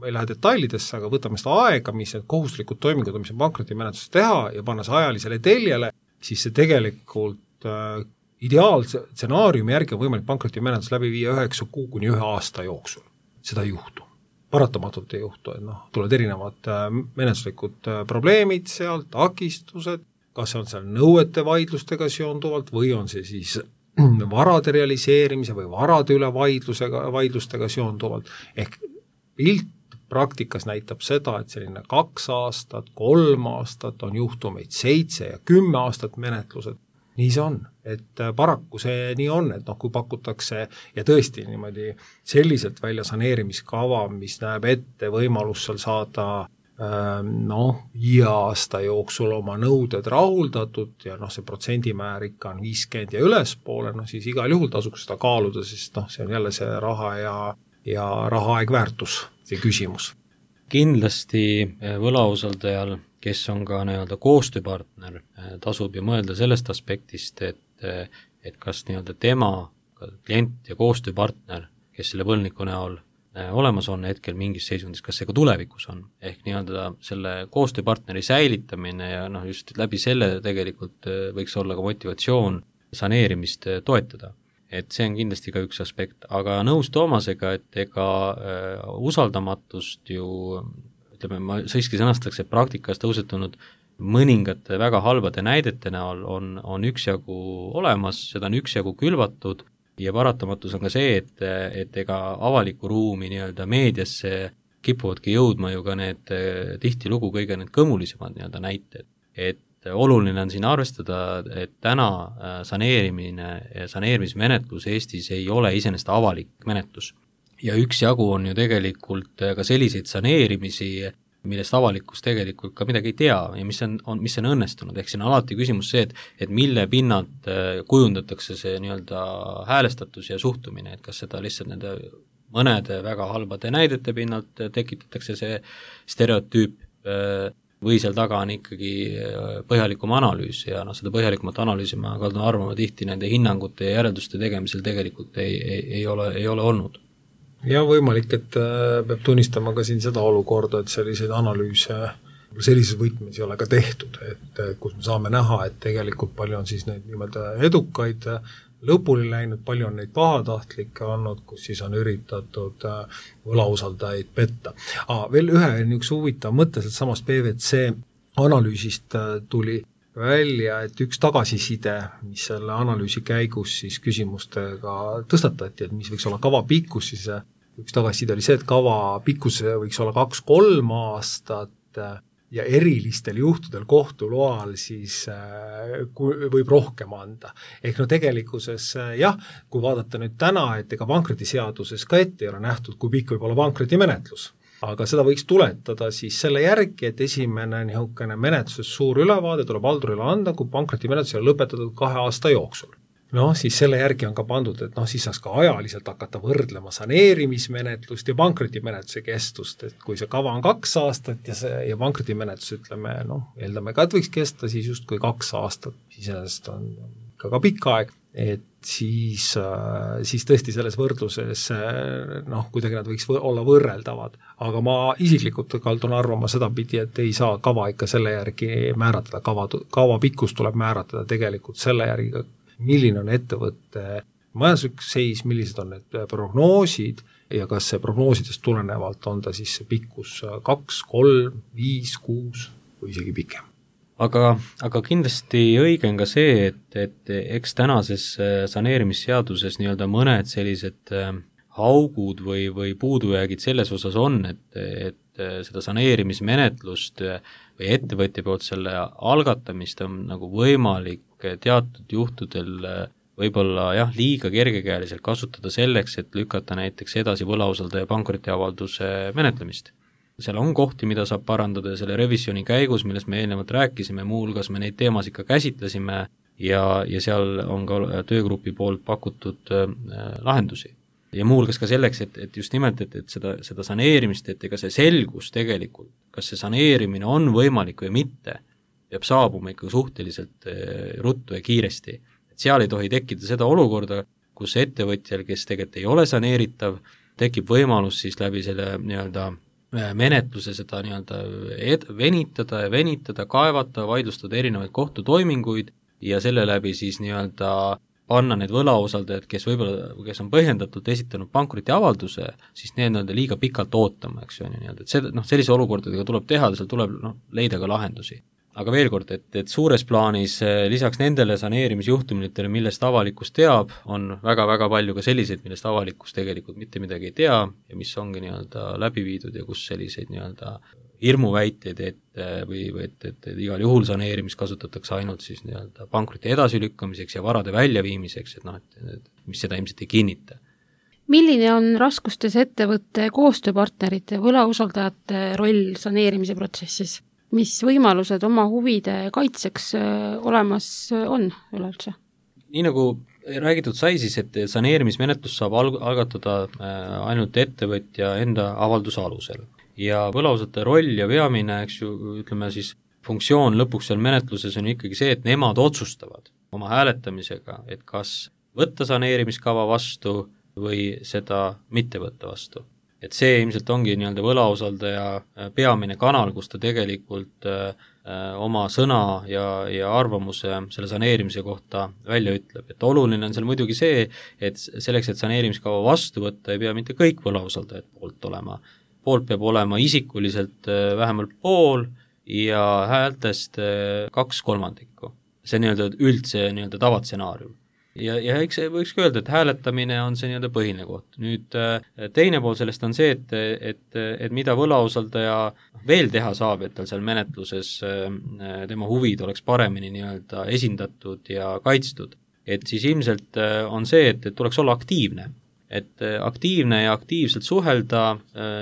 ei lähe detailidesse, aga võtame seda aega, mis need kohustuslikud toimingud, mis on pankrotimenetluses teha ja panna see ajalisele teljele, siis see tegelikult ideaalse stsenaariumi järgi on võimalik pankrotimenetlus läbi viia 9 kuu kuni 1 aasta jooksul. Seda ei juhtu. Paratamatult ei juhtu, et tulevad erinevad menetluslikud probleemid seal, takistused, kas see on seal nõuete vaidlustega seonduvalt või on see siis varade realiseerimise või varade üle vaidlustega seonduvalt. Ehk pilt praktikas näitab seda, et selline 2 aastat, 3 aastat on juhtumeid 7 ja 10 aastat menetlused. Nii see on, et paraku see nii on, et kui pakutakse ja tõesti niimoodi selliselt välja saneerimiskava, mis näeb ette võimalus seal saada 5 aasta jooksul oma nõuded rahuldatud ja see protsendimäär ikka on 50 ja ülespoole, siis igal juhul tasuks seda kaaluda, sest see on jälle see raha ja rahaaeg väärtus, see küsimus.
Kindlasti võlausaldajal, kes on ka koostööpartner, tasub ju mõelda sellest aspektist, et kas tema klient ja koostööpartner, kes selle võlniku näol olemas on hetkel mingis seisundis, kas see ka tulevikus on, ehk selle koostööpartneri säilitamine ja just läbi selle tegelikult võiks olla ka motivatsioon saneerimist toetada. Et see on kindlasti ka üks aspekt, aga nõus Toomasega, et ega usaldamatust ju, ma siiski sõnastaks, et praktikas tõusetunud mõningate väga halbade näidete näol on üksjagu olemas, seda on üksjagu külvatud ja paratamatus on ka see, et ega avaliku ruumi meediasse kipuvadki jõudma ju ka need tihtilugu kõige need kõmulisemad näited, et oluline on siin arvestada, et täna saneerimismenetlus Eestis ei ole iseenesest avalik menetlus. Ja üksjagu on ju tegelikult ka selliseid saneerimisi, millest avalikkus tegelikult ka midagi ei tea ja mis on õnnestunud, ehk siin on alati küsimus see, et mille pinnalt kujundatakse see nii-öelda häälestatus ja suhtumine, et kas seda lihtsalt nende mõnede väga halbade näidete pinnalt tekitatakse see stereotüüp või seal taga on ikkagi põhjalikum analüüs ja seda põhjalikumat analüüsi ma kaldun arvama tihti nende hinnangute ja järelduste tegemisel tegelikult ei ole olnud.
Ja võimalik, et peab tunnistama ka siin seda olukorda, et selliseid analüüse sellises võtmes ei ole ka tehtud, et kus me saame näha, et tegelikult palju on siis neid niimoodi edukaid lõpuni läinud, palju on neid pahatahtlikke olnud, kus siis on üritatud võlausaldajaid petta. Veel ühe niisuguse huvitav mõte, et samast PVC analüüsist tuli välja, et üks tagasiside, mis selle analüüsi käigus siis küsimustega tõstatati, et mis võiks olla kava pikkus, siis üks tagasiside oli see, et kava pikkus võiks olla 2-3 aastat ja erilistel juhtudel kohtu loal siis võib rohkem anda. Ehk tegelikkuses jah, kui vaadata nüüd täna, et ega pankrotiseaduses ka ette ei ole nähtud, kui pikk võib olla pankrotimenetlus. Aga seda võiks tuletada siis selle järgi, et esimene niisugune menetluses suur ülevaade tuleb haldurile anda, kui pankrotimenetlus on lõpetatud 2 aasta jooksul. Siis selle järgi on ka pandud, et siis saaks ka ajaliselt hakata võrdlema saneerimismenetlust ja pankrotimenetluse kestust, et kui see kava on 2 aastat ja pankrotimenetlus ütleme, eeldame ka, et võiks kesta siis justkui 2 aastat, siis on ka pikk aeg, et siis tõesti selles võrdluses kuidagi nad võiks olla võrreldavad. Aga ma isiklikult kaldun arvama sedapidi, et ei saa kava ikka selle järgi määratada, kava pikkus tuleb määratada tegelikult selle järgi, milline on ettevõtte majanduslik seis, millised on need prognoosid ja kas see prognoosidest tulenevalt on ta siis see pikkus 2, 3, 5, 6 või isegi pikem.
Aga kindlasti õige on ka see, et eks tänases saneerimisseaduses nii-öelda mõned sellised haugud või puudujäägid selles osas on, et seda saneerimismenetlust või ettevõtja poolt selle algatamist on nagu võimalik teatud juhtudel võib-olla liiga kergekäeliselt kasutada selleks, et lükata näiteks edasi võlausaldaja pankrotiavalduse menetlemist. Seal on kohti, mida saab parandada ja selle revisjoni käigus, millest me eelnevalt rääkisime, muuhulgas me neid teemasid ka käsitlesime ja seal on ka töögrupi poolt pakutud lahendusi. Ja muuhulgas ka selleks, et just nimelt, et seda saneerimist, et ega see selgus tegelikult, kas see saneerimine on võimalik või mitte, peab saabuma ikka suhteliselt ruttu ja kiiresti. Et seal ei tohi tekkida seda olukorda, kus ettevõtjal, kes tegelikult ei ole saneeritav, tekib võimalus siis läbi selle nii-öelda menetluse seda nii-öelda venitada, kaevata, vaidlustada erinevaid kohtutoiminguid ja selle läbi siis nii-öelda panna need võlausaldajad, kes on põhjendatult esitanud pankrotiavalduse, siis need on liiga pikalt ootama, eks ju, et sellise olukordadega tuleb teha, seal tuleb leida ka lahendusi. Aga veel kord, et suures plaanis lisaks nendele saneerimisjuhtumitele, millest avalikkus teab, on väga-väga palju ka selliseid, millest avalikkus tegelikult mitte midagi ei tea ja mis ongi nii-öelda läbi viidud ja kus selliseid nii-öelda hirmuväiteid, et igal juhul saneerimist kasutatakse ainult siis nii-öelda pankroti edasilükkamiseks ja varade väljaviimiseks, et mis seda ilmselt ei kinnita.
Milline on raskustes ettevõtte koostööpartnerite võlausaldajate roll saneerimise protsessis? Mis võimalused oma huvide kaitseks olemas on üleüldse?
Nii nagu räägitud sai siis, et saneerimismenetlus saab algatada ainult ettevõtja enda avalduse alusel. Ja võlausaldajate roll ja veamine, eks ju, ütleme siis, funktsioon lõpuks seal menetluses on ikkagi see, et nemad otsustavad oma hääletamisega, et kas võtta saneerimiskava vastu või seda mitte võtta vastu. Et see ilmselt ongi nii-öelda võlausaldaja peamine kanal, kus ta tegelikult oma sõna ja arvamuse selle saneerimise kohta välja ütleb. Et oluline on seal muidugi see, et selleks, et saneerimiskava vastu võtta, ei pea mitte kõik võlausaldajad poolt olema. Poolt peab olema isikuliselt vähemalt pool ja häältest 2/3. See on nii-öelda üldse nii-öelda tavatsenaarium. ja eks võikski öelda, et hääletamine on see nii-öelda põhiline koht. Nüüd teine pool sellest on see, et mida võlausaldaja veel teha saab, et tal seal menetluses tema huvid oleks paremini nii-öelda esindatud ja kaitstud. Et siis ilmselt on see, et tuleks olla aktiivne. Et aktiivne ja aktiivselt suhelda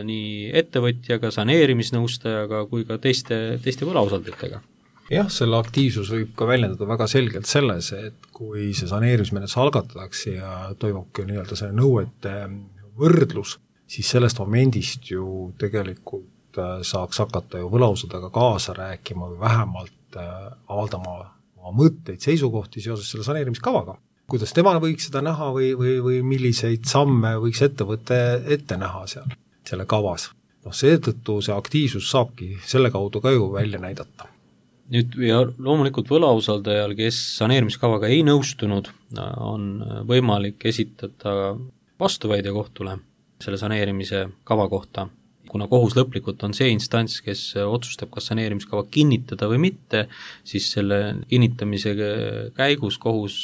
nii ettevõtjaga, saneerimisnõustajaga kui ka teiste võlausaldajatega.
Jah, selle aktiivsus võib ka väljendada väga selgelt selles, et kui see saneerimismenetlus algatatakse ja toimubki nii-öelda see nõuete võrdlus, siis sellest momendist ju tegelikult saaks hakata ju võlausaldajaga kaasa rääkima või vähemalt avaldama oma mõtteid, seisukohti seoses selle saneerimiskavaga. Kuidas tema võiks seda näha või milliseid samme võiks ettevõte ette näha seal, selle kavas. Seetõttu see aktiivsus saabki selle kaudu ka ju välja näidata.
Nüüd ja loomulikult võlausaldajal, kes saneerimiskavaga ei nõustunud, on võimalik esitada vastuväide kohtule selle saneerimise kava kohta, kuna kohus lõplikult on see instants, kes otsustab, kas saneerimiskava kinnitada või mitte, siis selle kinnitamise käigus kohus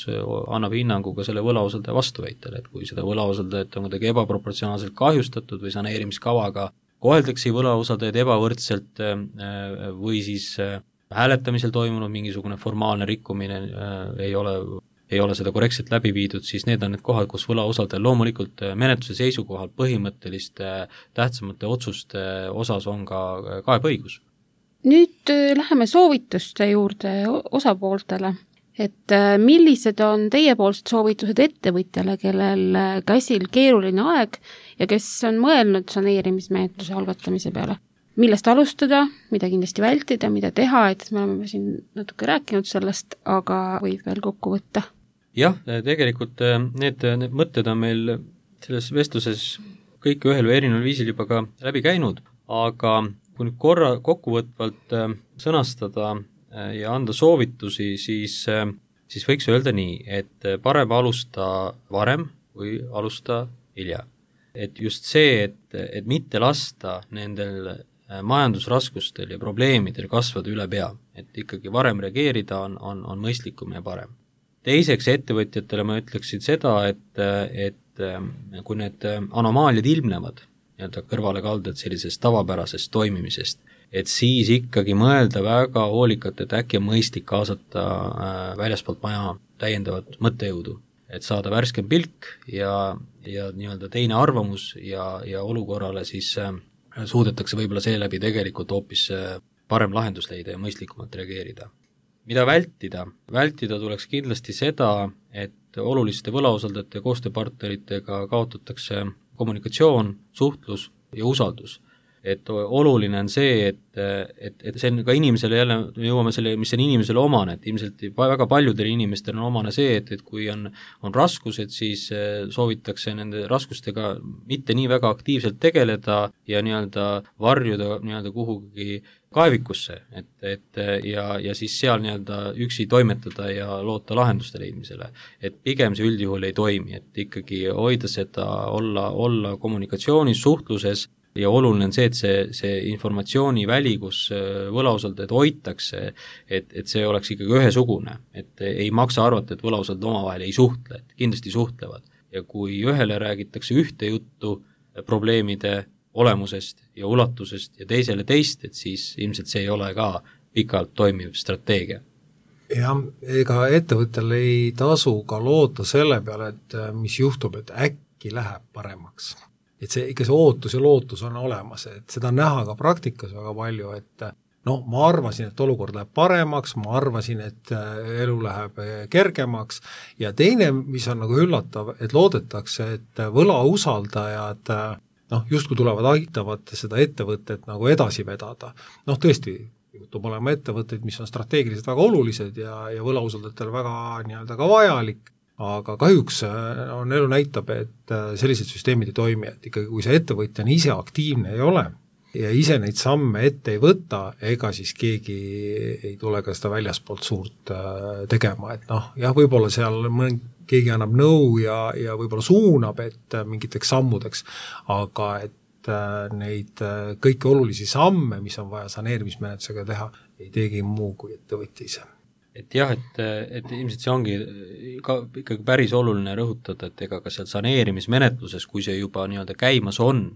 annab hinnangu ka selle võlausaldaja vastuväitele, et kui seda võlausaldajat on kuidagi ebaproportsionaalselt kahjustatud või saneerimiskavaga koheldakse võlausaldajad ebavõrdselt või siis hääletamisel toimunud mingisugune formaalne rikkumine ei ole seda korrektselt läbi viidud, siis need on need kohad, kus võlausaldajal loomulikult menetluse seisukohal põhimõtteliste tähtsamate otsuste osas on ka kaebeõigus.
Nüüd läheme soovituste juurde osapooltele, et millised on teiepoolsed soovitused ettevõtjale, kellel käsil keeruline aeg ja kes on mõelnud saneerimismenetluse algatamise peale? Millest alustada, mida kindlasti vältida, mida teha, et me oleme siin natuke rääkinud sellest, aga võib veel kokku võtta.
Jah, tegelikult need mõtted on meil selles vestluses kõik ühel või erineval viisil juba ka läbi käinud, aga kui nüüd korra kokkuvõtvalt sõnastada ja anda soovitusi, siis võiks öelda nii, et parem alusta varem või alusta hilja. Et just see, et mitte lasta nendel majandusraskustel ja probleemidel kasvada üle pea, et ikkagi varem reageerida on mõistlikum ja parem. Teiseks ettevõtjatele ma ütleksin seda, et kui need anomaaliad ilmnevad, nii-öelda kõrvalekalded sellisest tavapärasest toimimisest, et siis ikkagi mõelda väga hoolikalt, et äkki on mõistlik kaasata väljaspoolt maja täiendavat mõttejõudu, et saada värskem pilk ja nii-öelda teine arvamus ja olukorrale siis suudetakse võib-olla seeläbi tegelikult hoopis parem lahendus leida ja mõistlikumalt reageerida. Mida vältida? Vältida tuleks kindlasti seda, et oluliste võlausaldajate ja koostööpartneritega kaotatakse kommunikatsioon, suhtlus ja usaldus. Et oluline on see, et see on ka inimesele jälle, jõuame selle, mis on inimesele omane, et ilmselt väga paljudel inimestel on omane see, et kui on raskused, siis soovitakse nende raskustega mitte nii väga aktiivselt tegeleda ja nii-öelda varjuda nii-öelda kuhugi kaevikusse, ja siis seal nii-öelda üksi toimetada ja loota lahenduste leidmisele. Et pigem see üldjuhul ei toimi, et ikkagi hoida seda, olla kommunikatsioonis, suhtluses, ja oluline on see, et see informatsiooniväli, kus võlausaldajad hoitakse, et see oleks ikkagi ühesugune, et ei maksa arvata, et võlausaldajad omavahel ei suhtle, et kindlasti suhtlevad. Ja kui ühele räägitakse ühte juttu probleemide olemusest ja ulatusest ja teisele teist, et siis ilmselt see ei ole ka pikalt toimiv strateegia.
Jah, ega ettevõttel ei tasu ka loota selle peale, et mis juhtub, et äkki läheb paremaks. Et see ikka see ootus ja lootus on olemas, et seda on näha ka praktikas väga palju, et ma arvasin, et olukord läheb paremaks, ma arvasin, et elu läheb kergemaks ja teine, mis on nagu üllatav, et loodetakse, et võlausaldajad justkui tulevad, aitavad seda ettevõtet nagu edasi vedada. Tõesti, juhtub olema ettevõtteid, mis on strateegiliselt väga olulised ja võlausaldajatele väga nii-öelda ka vajalik, aga kahjuks on elu näitab, et sellised süsteemid ei toimi, et ikkagi kui see ettevõtja ise aktiivne ei ole ja ise neid samme ette ei võta, ega siis keegi ei tule ka seda väljaspoolt suurt tegema, et jah, võib-olla seal keegi annab nõu ja võib-olla suunab, et mingiteks sammudeks, aga et neid kõiki olulisi samme, mis on vaja saneerimismenetlusega teha, ei teegi muu kui ettevõtja ise.
et jah, et ilmselt see ongi ka ikkagi päris oluline rõhutada, et ega ka seal saneerimismenetluses, kui see juba nii-öelda käimas on,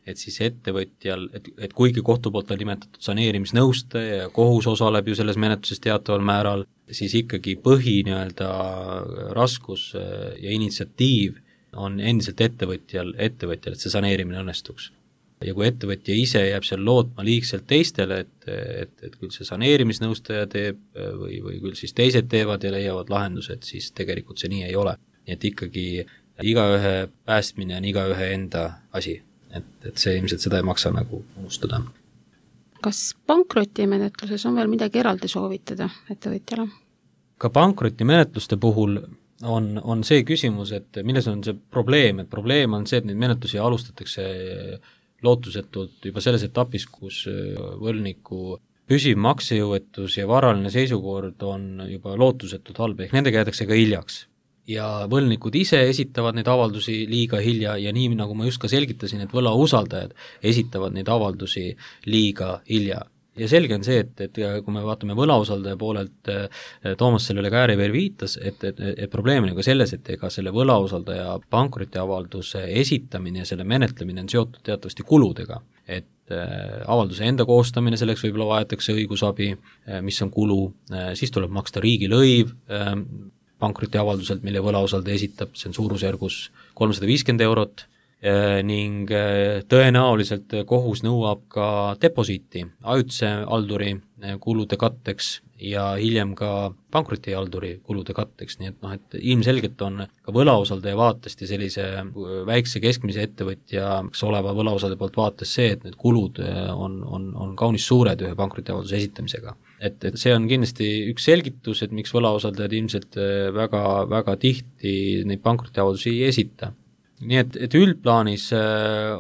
et siis ettevõtjal, et kuigi kohtu poolt on nimetatud saneerimisnõustaja ja kohus osaleb ju selles menetluses teataval määral, siis ikkagi põhi nii-öelda raskus ja initsiatiiv on endiselt ettevõtjal, et see saneerimine õnnestuks. Ja kui ettevõtja ise jääb seal lootma liigselt teistele, et küll see saneerimisnõustaja teeb või küll siis teised teevad ja leiavad lahendused, siis tegelikult see nii ei ole. Nii et ikkagi igaühe päästmine on igaühe enda asi, et see ilmselt seda ei maksa nagu unustada.
Kas pankrotimenetluses on veel midagi eraldi soovitada ettevõtjale?
Ka pankrotimenetluste puhul on see küsimus, et milles on see probleem, et probleem on see, et neid menetlusi alustatakse lootusetult juba selles etapis, kus võlgniku püsiv maksejõuetus ja varaline seisukord on juba lootusetult halb, ehk nendega jäädakse ka hiljaks. Ja võlgnikud ise esitavad neid avaldusi liiga hilja ja nii, nagu ma just ka selgitasin, et võlausaldajad esitavad neid avaldusi liiga hilja. Ja selge on see, et kui me vaatame võlausaldaja poolelt, Toomas sellele ka ääreveer viitas, et probleem on ka selles, et ega selle võlausaldaja pankrotiavalduse esitamine ja selle menetlemine on seotud teatavasti kuludega, et avalduse enda koostamine, selleks võib-olla vajatakse õigusabi, mis on kulu, siis tuleb maksta riigilõiv pankrotiavalduselt, mille võlausaldaja esitab, see on suurusjärgus 350 eurot, ning tõenäoliselt kohus nõuab ka deposiiti ajutise halduri kulude katteks ja hiljem ka pankrotihalduri kulude katteks, nii et et ilmselgelt on ka võlausaldaja vaatest ja sellise väikse keskmise ettevõtjaks oleva võlausaldaja poolt vaates see, et need kulud on kaunis suured ühe pankrotiavalduse esitamisega. Et see on kindlasti üks selgitus, et miks võlausaldajad ilmselt väga, väga tihti neid pankrotiavaldusi ei esita. Nii et üldplaanis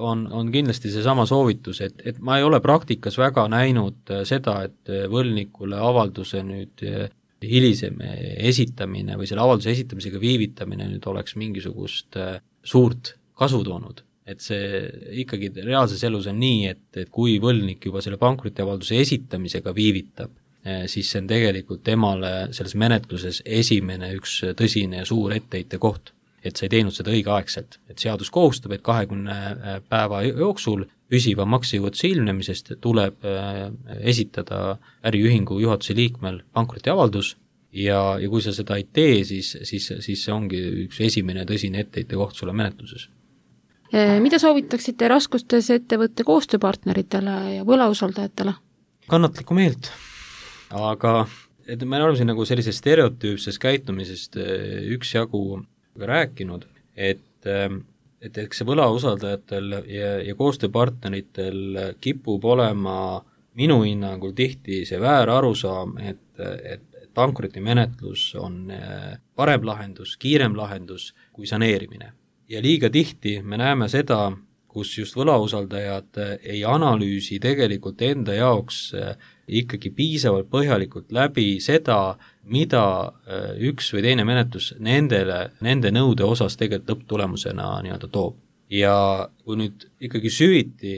on kindlasti see sama soovitus, et ma ei ole praktikas väga näinud seda, et võlgnikule avalduse nüüd hilisem esitamine või selle avalduse esitamisega viivitamine nüüd oleks mingisugust suurt kasu toonud. Et see ikkagi reaalses elus on nii, et kui võlgnik juba selle pankrotiavalduse esitamisega viivitab, siis see on tegelikult temale selles menetluses esimene üks tõsine ja suur etteheite koht. Et sa ei teinud seda õigeaegselt, et seadus kohustab, et 20 päeva jooksul püsiva maksejõuetuse ilmnemisest tuleb esitada äriühingu juhatuse liikmel pankrotiavaldus ja kui sa seda ei tee, siis see ongi üks esimene tõsine etteheite koht sulle menetluses.
Mida soovitaksite raskustes ettevõtte koostööpartneritele ja võlausaldajatele?
Kannatlikku meelt, aga et me oleme siin nagu sellisest stereotüüpsest käitumisest üksjagu rääkinud, et eks see võlausaldajatel ja koostööpartneritel kipub olema minu hinnangul tihti see väär arusaam, et pankrotimenetlus on parem lahendus, kiirem lahendus kui saneerimine. Ja liiga tihti me näeme seda, kus just võlausaldajad ei analüüsi tegelikult enda jaoks ikkagi piisavalt põhjalikult läbi seda, mida üks või teine menetlus nende nõude osas tegelikult lõpptulemusena nii-öelda toob. Ja kui nüüd ikkagi süviti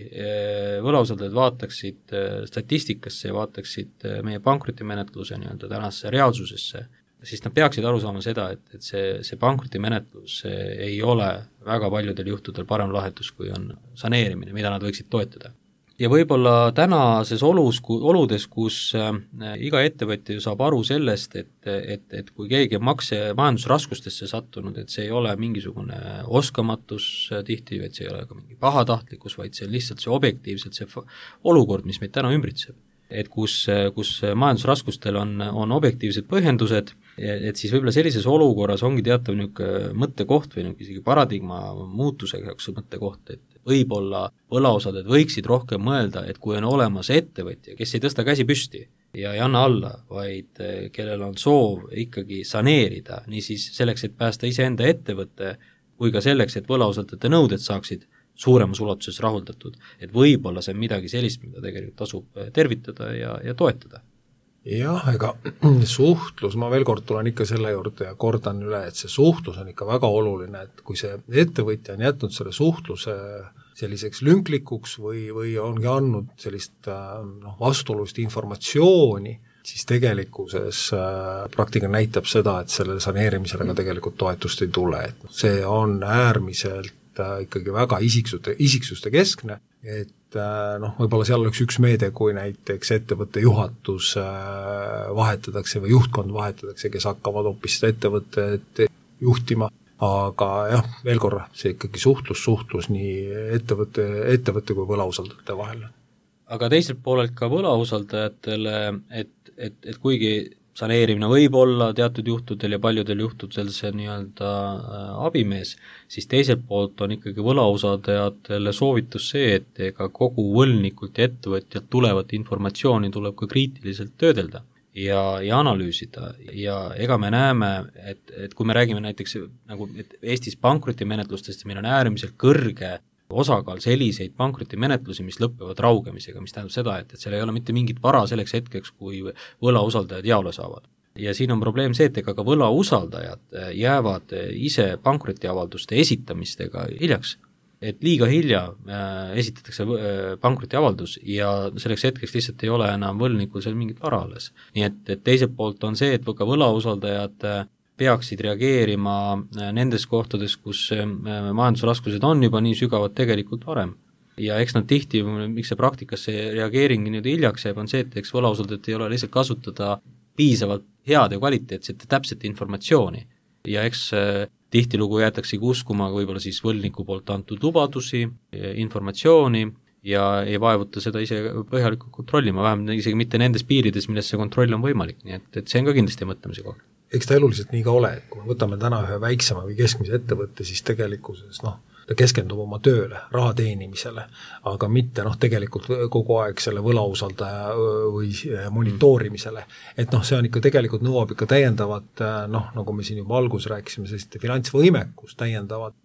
võlausaldajad vaataksid statistikasse ja vaataksid meie pankrotimenetluse nii-öelda tänasesse reaalsusesse, siis nad peaksid aru saama seda, et see pankrotimenetlus ei ole väga paljudel juhtudel parem lahendus, kui on saneerimine, mida nad võiksid toetada. Ja võib-olla tänases oludes, kus iga ettevõtja saab aru sellest, et kui keegi on majandusraskustesse sattunud, et see ei ole mingisugune oskamatus tihti, vaid see ei ole ka mingi pahatahtlikkus, vaid see on lihtsalt see objektiivselt see olukord, mis meid täna ümbritseb. Et kus majandusraskustel on objektiivsed põhjendused, et siis võib-olla sellises olukorras ongi teatav niisugune mõttekoht või isegi paradigma muutusega mõttekoht, et võib-olla võlausaldajad võiksid rohkem mõelda, et kui on olemas ettevõtja, kes ei tõsta käsi püsti ja ei anna alla, vaid kellel on soov ikkagi saneerida, niisiis selleks, et päästa iseenda ettevõtte, kui ka selleks, et võlausaldajate nõuded saaksid suuremas ulatuses rahuldatud, et võib-olla see on midagi sellist, mida tegelikult tasub tervitada ja toetada.
Jah, ega suhtlus, ma veel kord tulen ikka selle juurde ja kordan üle, et see suhtlus on ikka väga oluline, et kui see ettevõtja on jätnud selle suhtluse selliseks lünklikuks või ongi andnud sellist vastuolust informatsiooni, siis tegelikkuses praktika näitab seda, et sellele saneerimisele ka tegelikult toetust ei tule, et see on äärmiselt ikkagi väga isiksuste keskne, et võib-olla seal oleks üks meede, kui näiteks ettevõtte juhatus vahetatakse või juhtkond vahetatakse, kes hakkavad hoopis seda ettevõtet juhtima, aga jah, veel korra, see ikkagi suhtlus nii ettevõtte kui võlausaldajate vahel.
Aga teiselt poolelt ka võlausaldajatele, et kuigi saneerimine võib olla teatud juhtudel ja paljudel juhtudel see nii-öelda abimees, siis teiselt poolt on ikkagi võlausaldajatele soovitus see, et ega kogu võlnikult ja ettevõtjalt tulevat informatsiooni tuleb ka kriitiliselt töödelda ja analüüsida ja ega me näeme, et kui me räägime näiteks nagu et Eestis pankrotimenetlustest, meil on äärmiselt kõrge osakaal selliseid pankrotimenetlusi, mis lõpevad raugemisega, mis tähendab seda, et seal ei ole mitte mingit vara selleks hetkeks, kui võlausaldajad jaole saavad. Ja siin on probleem see, et ega ka võlausaldajad jäävad ise pankrotiavalduste esitamistega hiljaks, et liiga hilja esitatakse pankrotiavaldus ja selleks hetkeks lihtsalt ei ole enam võlnikul seal mingit vara alles. Nii et teiselt poolt on see, et ka võlausaldajad peaksid reageerima nendes kohtades, kus majandusraskused on juba nii sügavad tegelikult varem. Ja eks nad tihti, miks see praktikas see reageering nüüd hiljaks jääb, on see, et eks võlausaldajat ei ole lihtsalt kasutada piisavalt head ja kvaliteetset ja täpset informatsiooni. Ja eks tihtilugu jäetaksegi uskuma võib-olla siis võlniku poolt antud lubadusi, informatsiooni ja ei vaevuta seda ise põhjalikult kontrollima, vähemalt isegi mitte nendes piirides, milles see kontroll on võimalik, nii et see on ka kindlasti mõtlemise koht.
Eks ta eluliselt nii ka ole, et kui me võtame täna ühe väiksema või keskmise ettevõtte, siis tegelikkuses ta keskendub oma tööle, raha teenimisele, aga mitte tegelikult kogu aeg selle võlausaldaja või monitoorimisele. Et see on ikka tegelikult nõuab ikka täiendavat, nagu me siin juba algus rääkisime, sellist finantsvõimekust täiendavat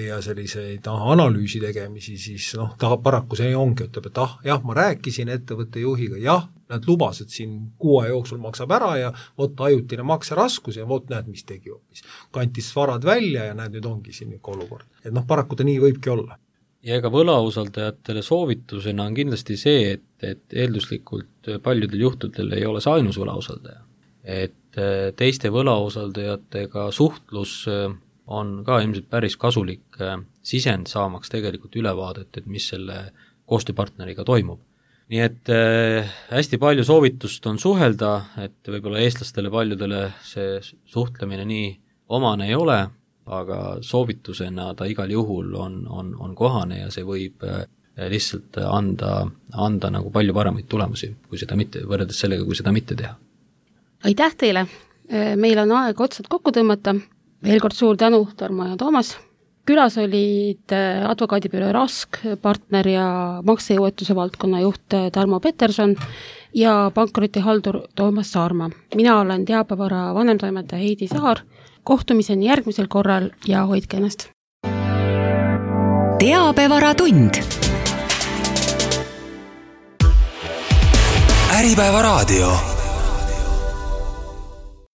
ja selliseid analüüsi tegemisi, siis ta paraku see ongi, ütleb, et jah, ma rääkisin ettevõtte juhiga, jah, nad lubasid siin 6 jooksul maksab ära ja vot ajutine makseraskus ja vot näed, mis tegi hoopis. Kantis varad välja ja näed, nüüd ongi siin ikka olukord. Et paraku ta nii võibki olla.
Ja ega võlausaldajatele soovitusena on kindlasti see, et eelduslikult paljudel juhtudel ei ole see ainus võlausaldaja. Et teiste võlausaldajatega suhtlus on ka ilmselt päris kasulik sisend saamaks tegelikult ülevaadet, et mis selle koostööpartneriga toimub. Nii et hästi palju soovitust on suhelda, et võib-olla eestlastele paljudele see suhtlemine nii omane ei ole, aga soovitusena ta igal juhul on kohane ja see võib lihtsalt anda nagu palju paremaid tulemusi, kui seda mitte, võrreldes sellega, kui seda mitte teha.
Aitäh teile! Meil on aeg otsad kokku tõmmata. Veel kord suur tänu, Tarmo ja Toomas. Külas olid advokaadibüroo Rask, partner ja maksejõuetuse valdkonna juht Tarmo Peterson ja pankrotihaldur Toomas Saarma. Mina olen Teabevara vanemtoimetaja Heidi Saar. Kohtumiseni järgmisel korral ja hoidke ennast.
Teabevara tund. Äripäeva raadio.